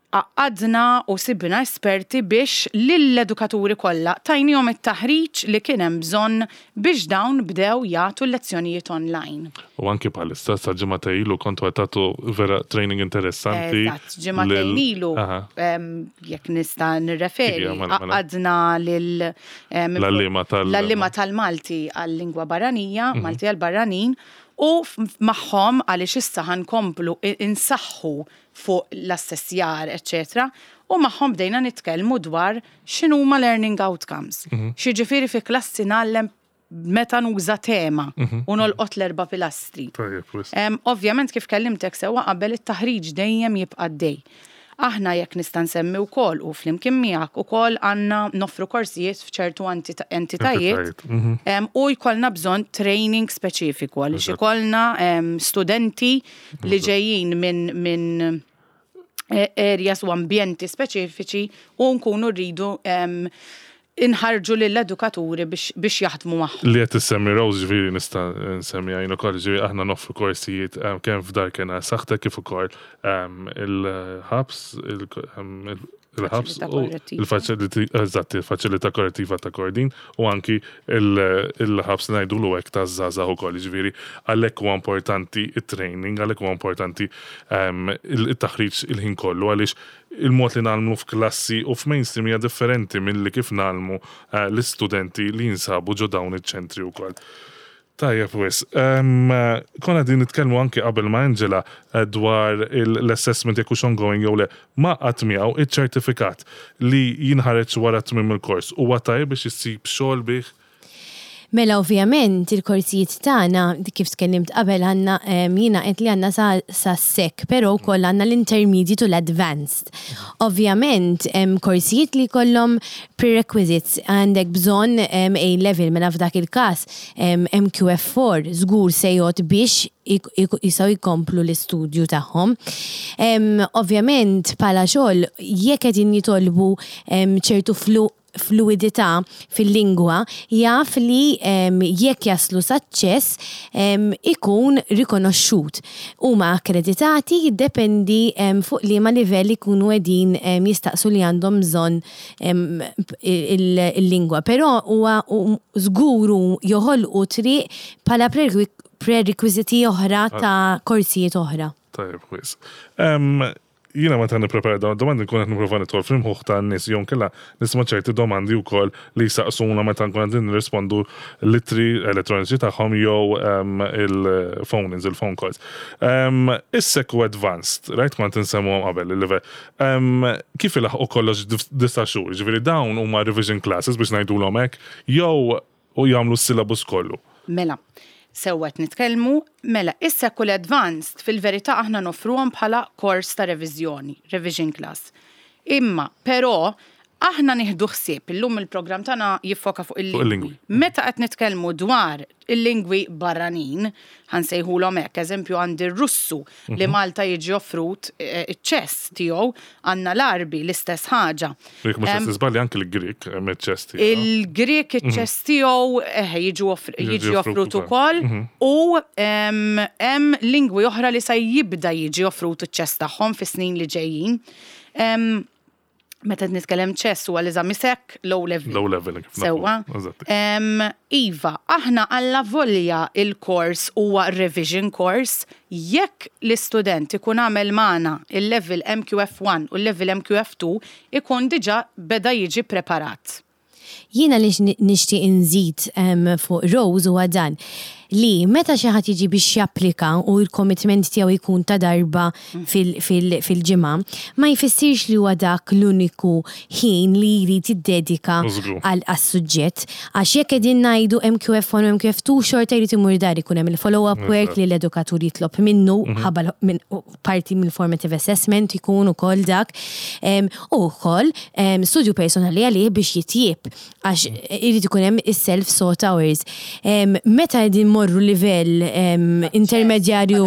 Għaqqadna u sibna esperti biex lill-edukaturi kollha tajniehom it-taħriġ li kien hemm bżonn biex dawn bdew jagħtu l-lezzjonijiet online. U anki bħalissa, sa ġimagħtejn ilu kontu qed tagħtu vera training interessanti. Eżatt, ġimagħtejn ilu, jekk nista' nirreferi, għaqqadna lil l-għalliema tal-Malti għal-lingwa barranija, Malti għall-barranin, u magħhom għaliex issa ħa nkomplu insaħħu fuq l-assessjar, eċċetera, u magħhom bdejna nitkellmu dwar x'inhuma learning outcomes. Mhm. X'jiġifieri fi klassi ngħallem meta nuża tema mhm. u nolqot l-erba' pilastri. Ovvjament kif kellimtek sewwa qabel it-taħriġ dejjem jibqa' dej. Aħna jekk nista' nsemmi wkoll u flimkien miegħek ukoll għandna noffru korsijiet f'ċertu entitajiet mhm. u jkollna bżonn training speċifiku għaliex ikollna studenti li ġejjin minn min eh, areas u ambjenti speċifiċi u nkunu rridu inħarrġu lill-edukaturi biex jaħdmu magħhom. Li qed issemmi Rose ġifieri nista' nsemmiha jien ukoll, ġifieri aħna noffru korsijiet kemm f'Dar Kena Saħħtek kif ukoll il-ħabs, il-ħabs u eżatt il-faċilità korrettiva ta' Kordin u anki il-ħabs li ngħidulu hekk taż-żgħażagħ ukoll, jiġifieri għalhekk huwa importanti t-training, għalhekk huwa importanti it-taħriġ il-ħin kollu għaliex il-mod li ngħallmu f'klassi u f'mainstream hija differenti milli kif ngħallmu l-istudenti li jinsabu ġo dawn iċ-ċentri wkoll. Tajjeb wisq. Konna qegħdin nitkellmu anki qabel ma' Angela dwar l-assessment jekk hux ongoing jew le. Mgħaqqad miegħu iċ-ċertifikat li jinħareġ wara tmiem il-kors huwa tajjeb biex issib xogħol bih? Mela ovvjament il-korsijiet tagħna kif tkellimt qabel għandna jiena għedt li għandna sa sa sec, però wkoll għandna l-intermediate u l-advanced. Ovvjament hemm korsijiet li jkollhom prerequisites, għandek bżonn A level mela f'dak il-każ MQF4 żgur se jgħodd biex jistgħu jkomplu l-istudju tagħhom. Ovvjament bħala xogħol jekk qegħdin jitolbu ċertu fluwidità fil-lingwa jaf li jekk jaslu saċ-ċess ikun rikonoxxut. Huma akkreditati jiddependi fuq liema livell ikunu qegħdin jistaqsu li għandhom bżonn il-lingwa. Però huwa żgur joħolqu triq bħala prerequisiti oħra ta' korsijiet oħra. Tajjeb wisq. Jiena meta nipprepara dawn id-domandi nkun qed nipprova nidħol fl-imħuħ tan-nies jew inkella nisma' ċerti domandi wkoll li jsaqsuna meta nkun qegħdin nirrispondu l-ittri elettroniċi tagħhom jew il-phone-ins, il-phone calls. Is-sec u advanced, right, kont insemmuhom qabel il-livell. Kif ilaħħqu kollox f'disa' xhur? Jiġifieri dawn huma revision classes biex ngħidulhom hekk jew u jagħmlu s-syllabus kollu. Mela, sewwa qed nitkellmu, mela, issa kull advanced fil-verità aħna noffruhom bħala kors ta' reviżjoni, revision class. Imma, però, aħna nieħdu ħsieb, illum il-programm tagħna jiffoka fuq il-lingwi. Meta qed nitkellmu dwar il-lingwi barranin, ħa nsejħulhom hekk, eżempju għandi r-Russu li Malta jiġi offrut iċ-ċess tiegħu, għandna l-Għarbi l-istess ħaġa. Jekk mhux qed niżbalja anki l-Grieg hemm iċ-ċess tiegħu. Il-Grieg iċ-ċess tiegħu eħe jiġi offrut ukoll u hemm lingwi oħra li se jibda jiġi offrut iċ-ċess tagħhom fis-snin li ġejjin. Meta qed nitkellem ċess huwa l-eżami sek low level. Low level. Sewwa. Iva, aħna alla volja il-kors huwa revision course, jekk l-istudent ikun għamel magħna il-level MQF1 u l-level MQF2 ikun diġà beda jiġi preparat. Jiena li nixtieq inżid fuq Rose huwa dan, li meta xi ħadd jiġi biex japplika u l-commitment tiegħu jkun ta' darba fil-ġimgħa, ma jfissirx li huwa dak l-uniku ħin li jrid jiddedika għas-suġġett. Għax jekk qegħdin ngħidu MQF1 u MQF2 xorta jrid imur dar ikun hemm il-follow-up work li l-edukatur jitlob minnu ħabba parti mill-formative assessment ikun ukoll dak u wkoll studju personali għalih biex jitjieb għax irid ikun hemm is-self sought hours. Meta qegħdin morru livell intermedjarju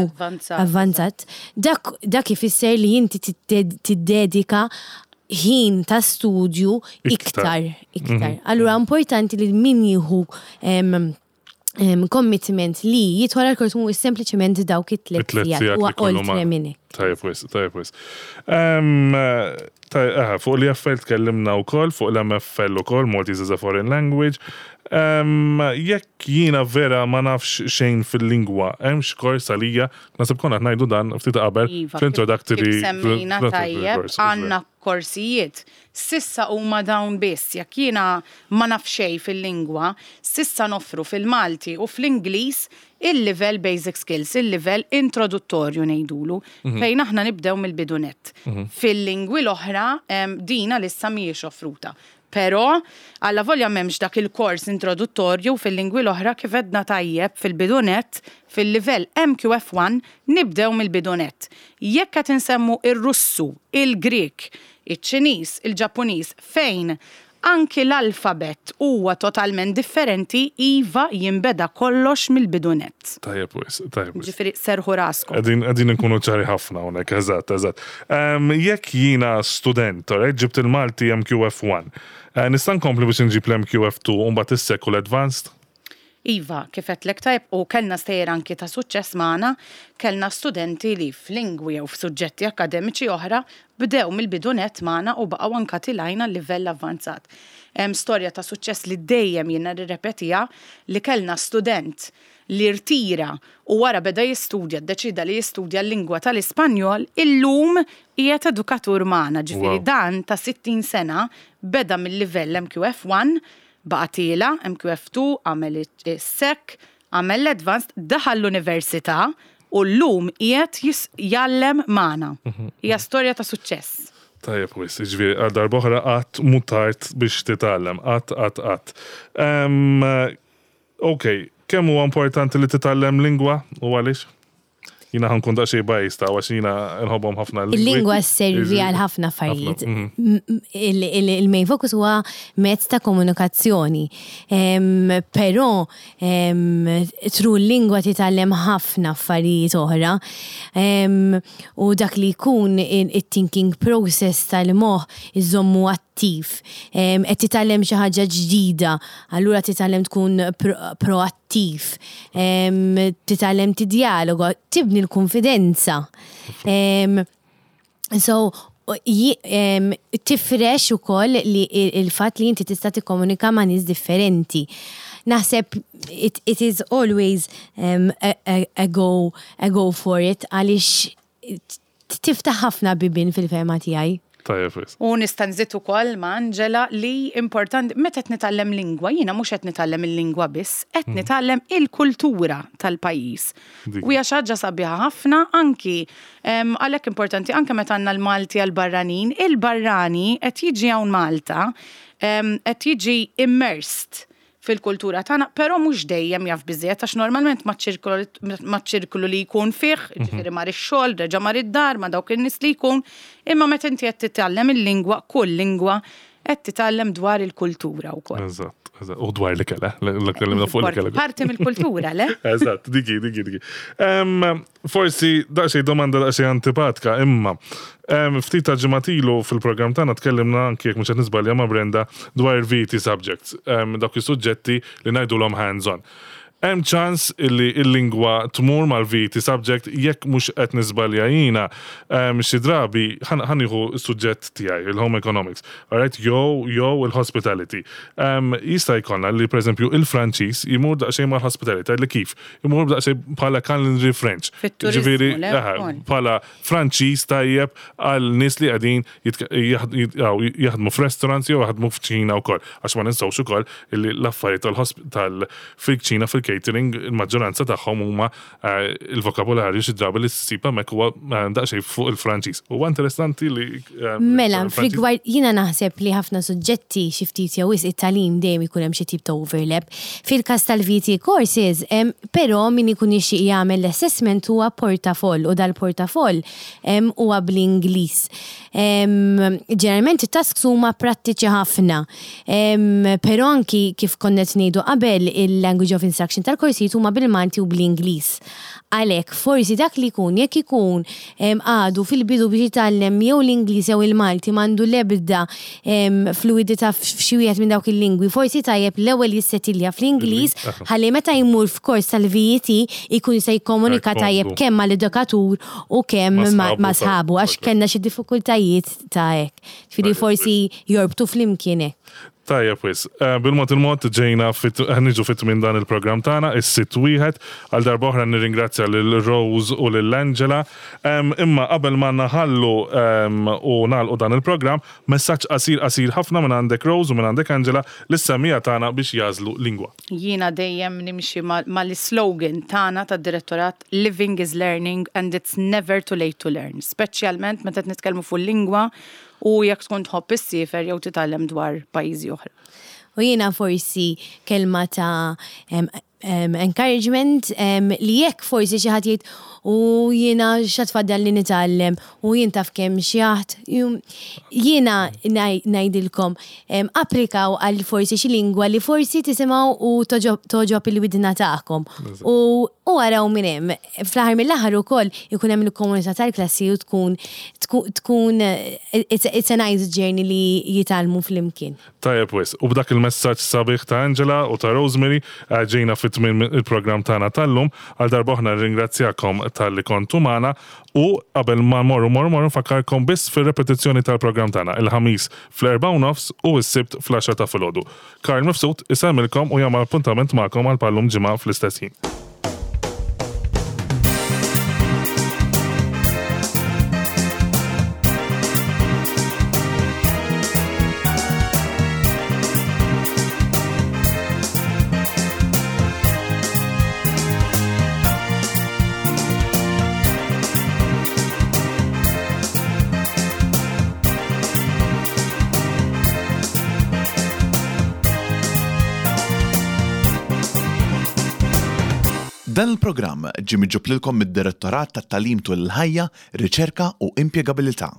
avvanzat, dak dak ifisser li inti tiddedika ħin ta' studju iktar iktar. Allura importanti li min jieħu commitment li jidħol għal kors mhuwiex sempliċement dawk it-tliet sigħat huwa oltre minn hekk. Tajjeb wisq, tajjeb wisq. Fuq l-EFL tkellimna wkoll, fuq l-MFL ukoll, Maltese as a Foreign Language. Jekk jiena vera ma nafx xejn fil-lingwa, hemm xi kors għalija? Naħseb konna qed ngħidu dan ftit qabel Iva, fl-introductory. Kif semmejna tajjeb, għandna korsijiet. S'issa huma dawn biss, jekk jiena ma naf xejn fil-lingwa, s'issa noffru fil-Malti u fl-Ingliż il-livell basic skills, il-livell introduttorju ngħidulu, fejn aħna nibdew mill-bidu nett. Fil-lingwi l-oħra din għalissa mhijiex offruta. Però, allavolja m'hemmx dak il-kors introduttorju fil-lingwi l-oħra kif għedna tajjeb fil-bidu nett, fil-livell MQF1 nibdew mill-bidu nett. Jekk qed insemmu ir-Russu, il-Grieg, iċ-Ċiniż, il-Ġappuniż, fejn Anki l-alfabett huwa totalment differenti, iva jinbeda kollox mill-bidu nett. Tajjeb wisq, tajjeb wisq. Ġifieri serrħu raskom. Qegħdin qegħdin inkunu ċari ħafna hawnhekk, eżatt, eżatt. Jekk jiena student, alright, ġibt il-Malti MQF1, nista' nkompli biex inġib l-MQF2 u mbagħad is-SEC u l-Advanced? Iva, kif għedtlek tajjeb u kellna stejjer anki ta' suċċess magħna, kellna studenti li f'lingwi jew f'suġġetti akkademiċi oħra bdew mill-bidu nett magħna u baqgħu anka tilgħin għal livell avvanzat. Hemm storja ta' suċċess li dejjem jiena nirrepetiha li kellna student li rtira u wara beda jistudja, ddeċieda li jistudja l-lingwa tal-Ispanjol, illum qiegħed edukatur magħna, ġifieri dan ta' 60 sena beda mill-livell MQF1 Baqa' tiela', MQF2, għamel is-SEC, għamel l-Advanced, daħal l-università u llum qiegħed jgħallem magħna. Hija storja ta' suċċess. Tajjeb wisq, jiġifieri għal darb'oħra qatt mhu tard biex titgħallem, qatt qatt qatt. Ok, kemm huwa importanti li titgħallem lingwa u għaliex? Jiena ħa nkun daqsxejn biased hawn għax jiena nħobbhom ħafna l-lingwi. Il-lingwa sservi għal ħafna affarijiet. Il-main focus huwa mezz ta' komunikazzjoni. Però through l-lingwa titgħallem ħafna affarijiet oħra. U dak li jkun it-thinking process tal-moħħ iżommu attiv. Qed titgħallem xi ħaġa ġdida, allura titgħallem tkun proattiv. attiv, titgħallem tidjaloga, tibni l-kunfidenza. So, tifrex ukoll li il-fatt li inti tista' tikkomunika ma' nies differenti. Naħseb it, it is always um, a, a, a, go, a go for it għaliex tiftaħ ħafna bibien fil-fehma tiegħi. Tajjeb wisq. U nista' nżid ukoll ma' Angela li importanti meta qed nitgħallem lingwa, jiena mhux qed nitgħallem il-lingwa biss, qed nitgħallem il-kultura tal-pajjiż. U hija xi ħaġa sabiħa ħafna anki għalhekk importanti anke meta għandna l-Malti għall-barranin, il-barrani qed jiġi hawn Malta qed jiġi immersed fil-kultura tagħna, però mhux dejjem jaf biżżejjed għax normalment maċ-ċirklu li jkun fih, ġifieri mar ix-xogħol, reġa' mar id-dar ma' dawk in-nies li jkun, imma meta inti qed titgħallem il-lingwa, kull lingwa, qed titgħallem dwar il-kultura wkoll. Eżatt, eżatt. U dwar l-ikel, eh? Tkellimna fuq l-ikel. Parti mill-kultura, le? Eżatt, diki, diki, diki. Forsi daqsxejn domanda daqsxejn antipatka, imma ftit ta' ġimgħat ilu fil-programm tagħna tkellimna anki jekk mhux qed niżbalja ma' Brenda dwar il-VET subjects, dawk is-suġġetti li ngħidulhom hands-on. Hemm ċans illi l-lingwa tmur mal-VET subject jekk mhux qed niżbalja jiena xi drabi ħa nieħu s-suġġett tiegħi, il-home economics, alright, jew jew il-hospitality. Jista' jkollna li pereżempju il-Franċiż jmur daqsxejn mal-hospitality, tgħidli kif? Imur daqsxejn bħala culinary French. Ġifieri, bħala Franċiż tajjeb għal nies li qegħdin jaħdmu f'restaurants jew jaħdmu f'kċina wkoll. Għax ma ninsewx ukoll li l-affarijiet tal fil-kċina fil-catering il-maġġoranza tagħhom huma eh, il-vokabularju xi drabi li ssib hemmhekk huwa eh, daqsxejn fuq il-Franċiż. Huwa interessanti li eh, Mela, f'rigward jiena naħseb li ħafna suġġetti xi ftit jew wisq it-tagħlim dejjem ikun hemm xi tip ta' overlap. Fil-każ tal-VT courses, però min ikun jixtieq jagħmel l-assessment huwa portafoll u dal-portafoll huwa bl-Ingliż. Ġeneralment it-tasks huma prattiċi ħafna. Però anki kif konna qed ngħidu qabel il-language of instruction tal-korsijiet huma bil-Malti u bl-Ingliż. Għalhekk, forsi dak li jkun, jekk ikun għadu fil-bidu biex jitgħallem jew l-Ingliż jew il-Malti m'għandu l-ebda fluwidità f'xi wieħed minn dawk il-lingwi, forsi tajjeb l-ewwel jissetilja fl-Ingliż ħalli meta jmur f'kors tal-VET ikun jista' jikkomunika tajjeb kemm mal-edukatur u kemm ma' sħabu għax kellna xi diffikultajiet ta' hekk. Ġifieri forsi jorbtu flimkien hekk. Tajjeb wisq. Bil-mod il-mod ġejna niġu fi tmiem dan il-programm tagħna, is-sitt wieħed. Għal darba oħra nirringrazzja lil Rose u lil Angela. Imma qabel ma naħallu u nagħlqu dan il-programm, messaġġ qasir qasir ħafna minn għandek Rose u minn għandek Angela lis-semmiegħa tagħna biex jagħżlu lingwa. Jiena dejjem nimxi mal-islogan tagħna tad-Direttorat Living is learning and it's never too late to learn. Speċjalment meta qed nitkellmu fuq il-lingwa u jekk tkun tħobb issiefer jew titgħallem dwar pajjiżi oħra. U jiena forsi kelma ta' encouragement li jekk forsi xi ħadd jgħid u jiena x'għad tfaddal li nitgħallem u jien taf kemm xjaħt. Jiena ngħidilkom applikaw għal forsi xi lingwa li forsi tisimgħu u togħġob il-widna tagħkom. U araw minn hemm. Fl-aħħar mill-aħħar ukoll ikun hemm il-komunità tal-klassi u tkun tkun it's a nice journey li jitgħallmu flimkien. Tajjeb wisq. U b'dak il-messaġġ sabiħ ta' Angela u ta' Rosemary ġejna fi tmiem il-programm tagħna tal-lum. Għal darb'oħra nirringrazzjakom talli kontu magħna u qabel ma mmorru mmorru mmorru nfakkarkom biss fir-repetizzjoni tal-programm tagħna il-Ħamis fl-erbgħa u nofs u s-Sibt fl-għaxra ta' filgħodu. Karl Mifsud isellmilkom u jagħmel appuntament magħkom għal bħal-lum ġimgħa fl-istess ħin. Dan il-programm ġie miġjub lilkom mid-Direttorat tat-Tagħlim Tul il-Ħajja, Riċerka u Impjegabilità.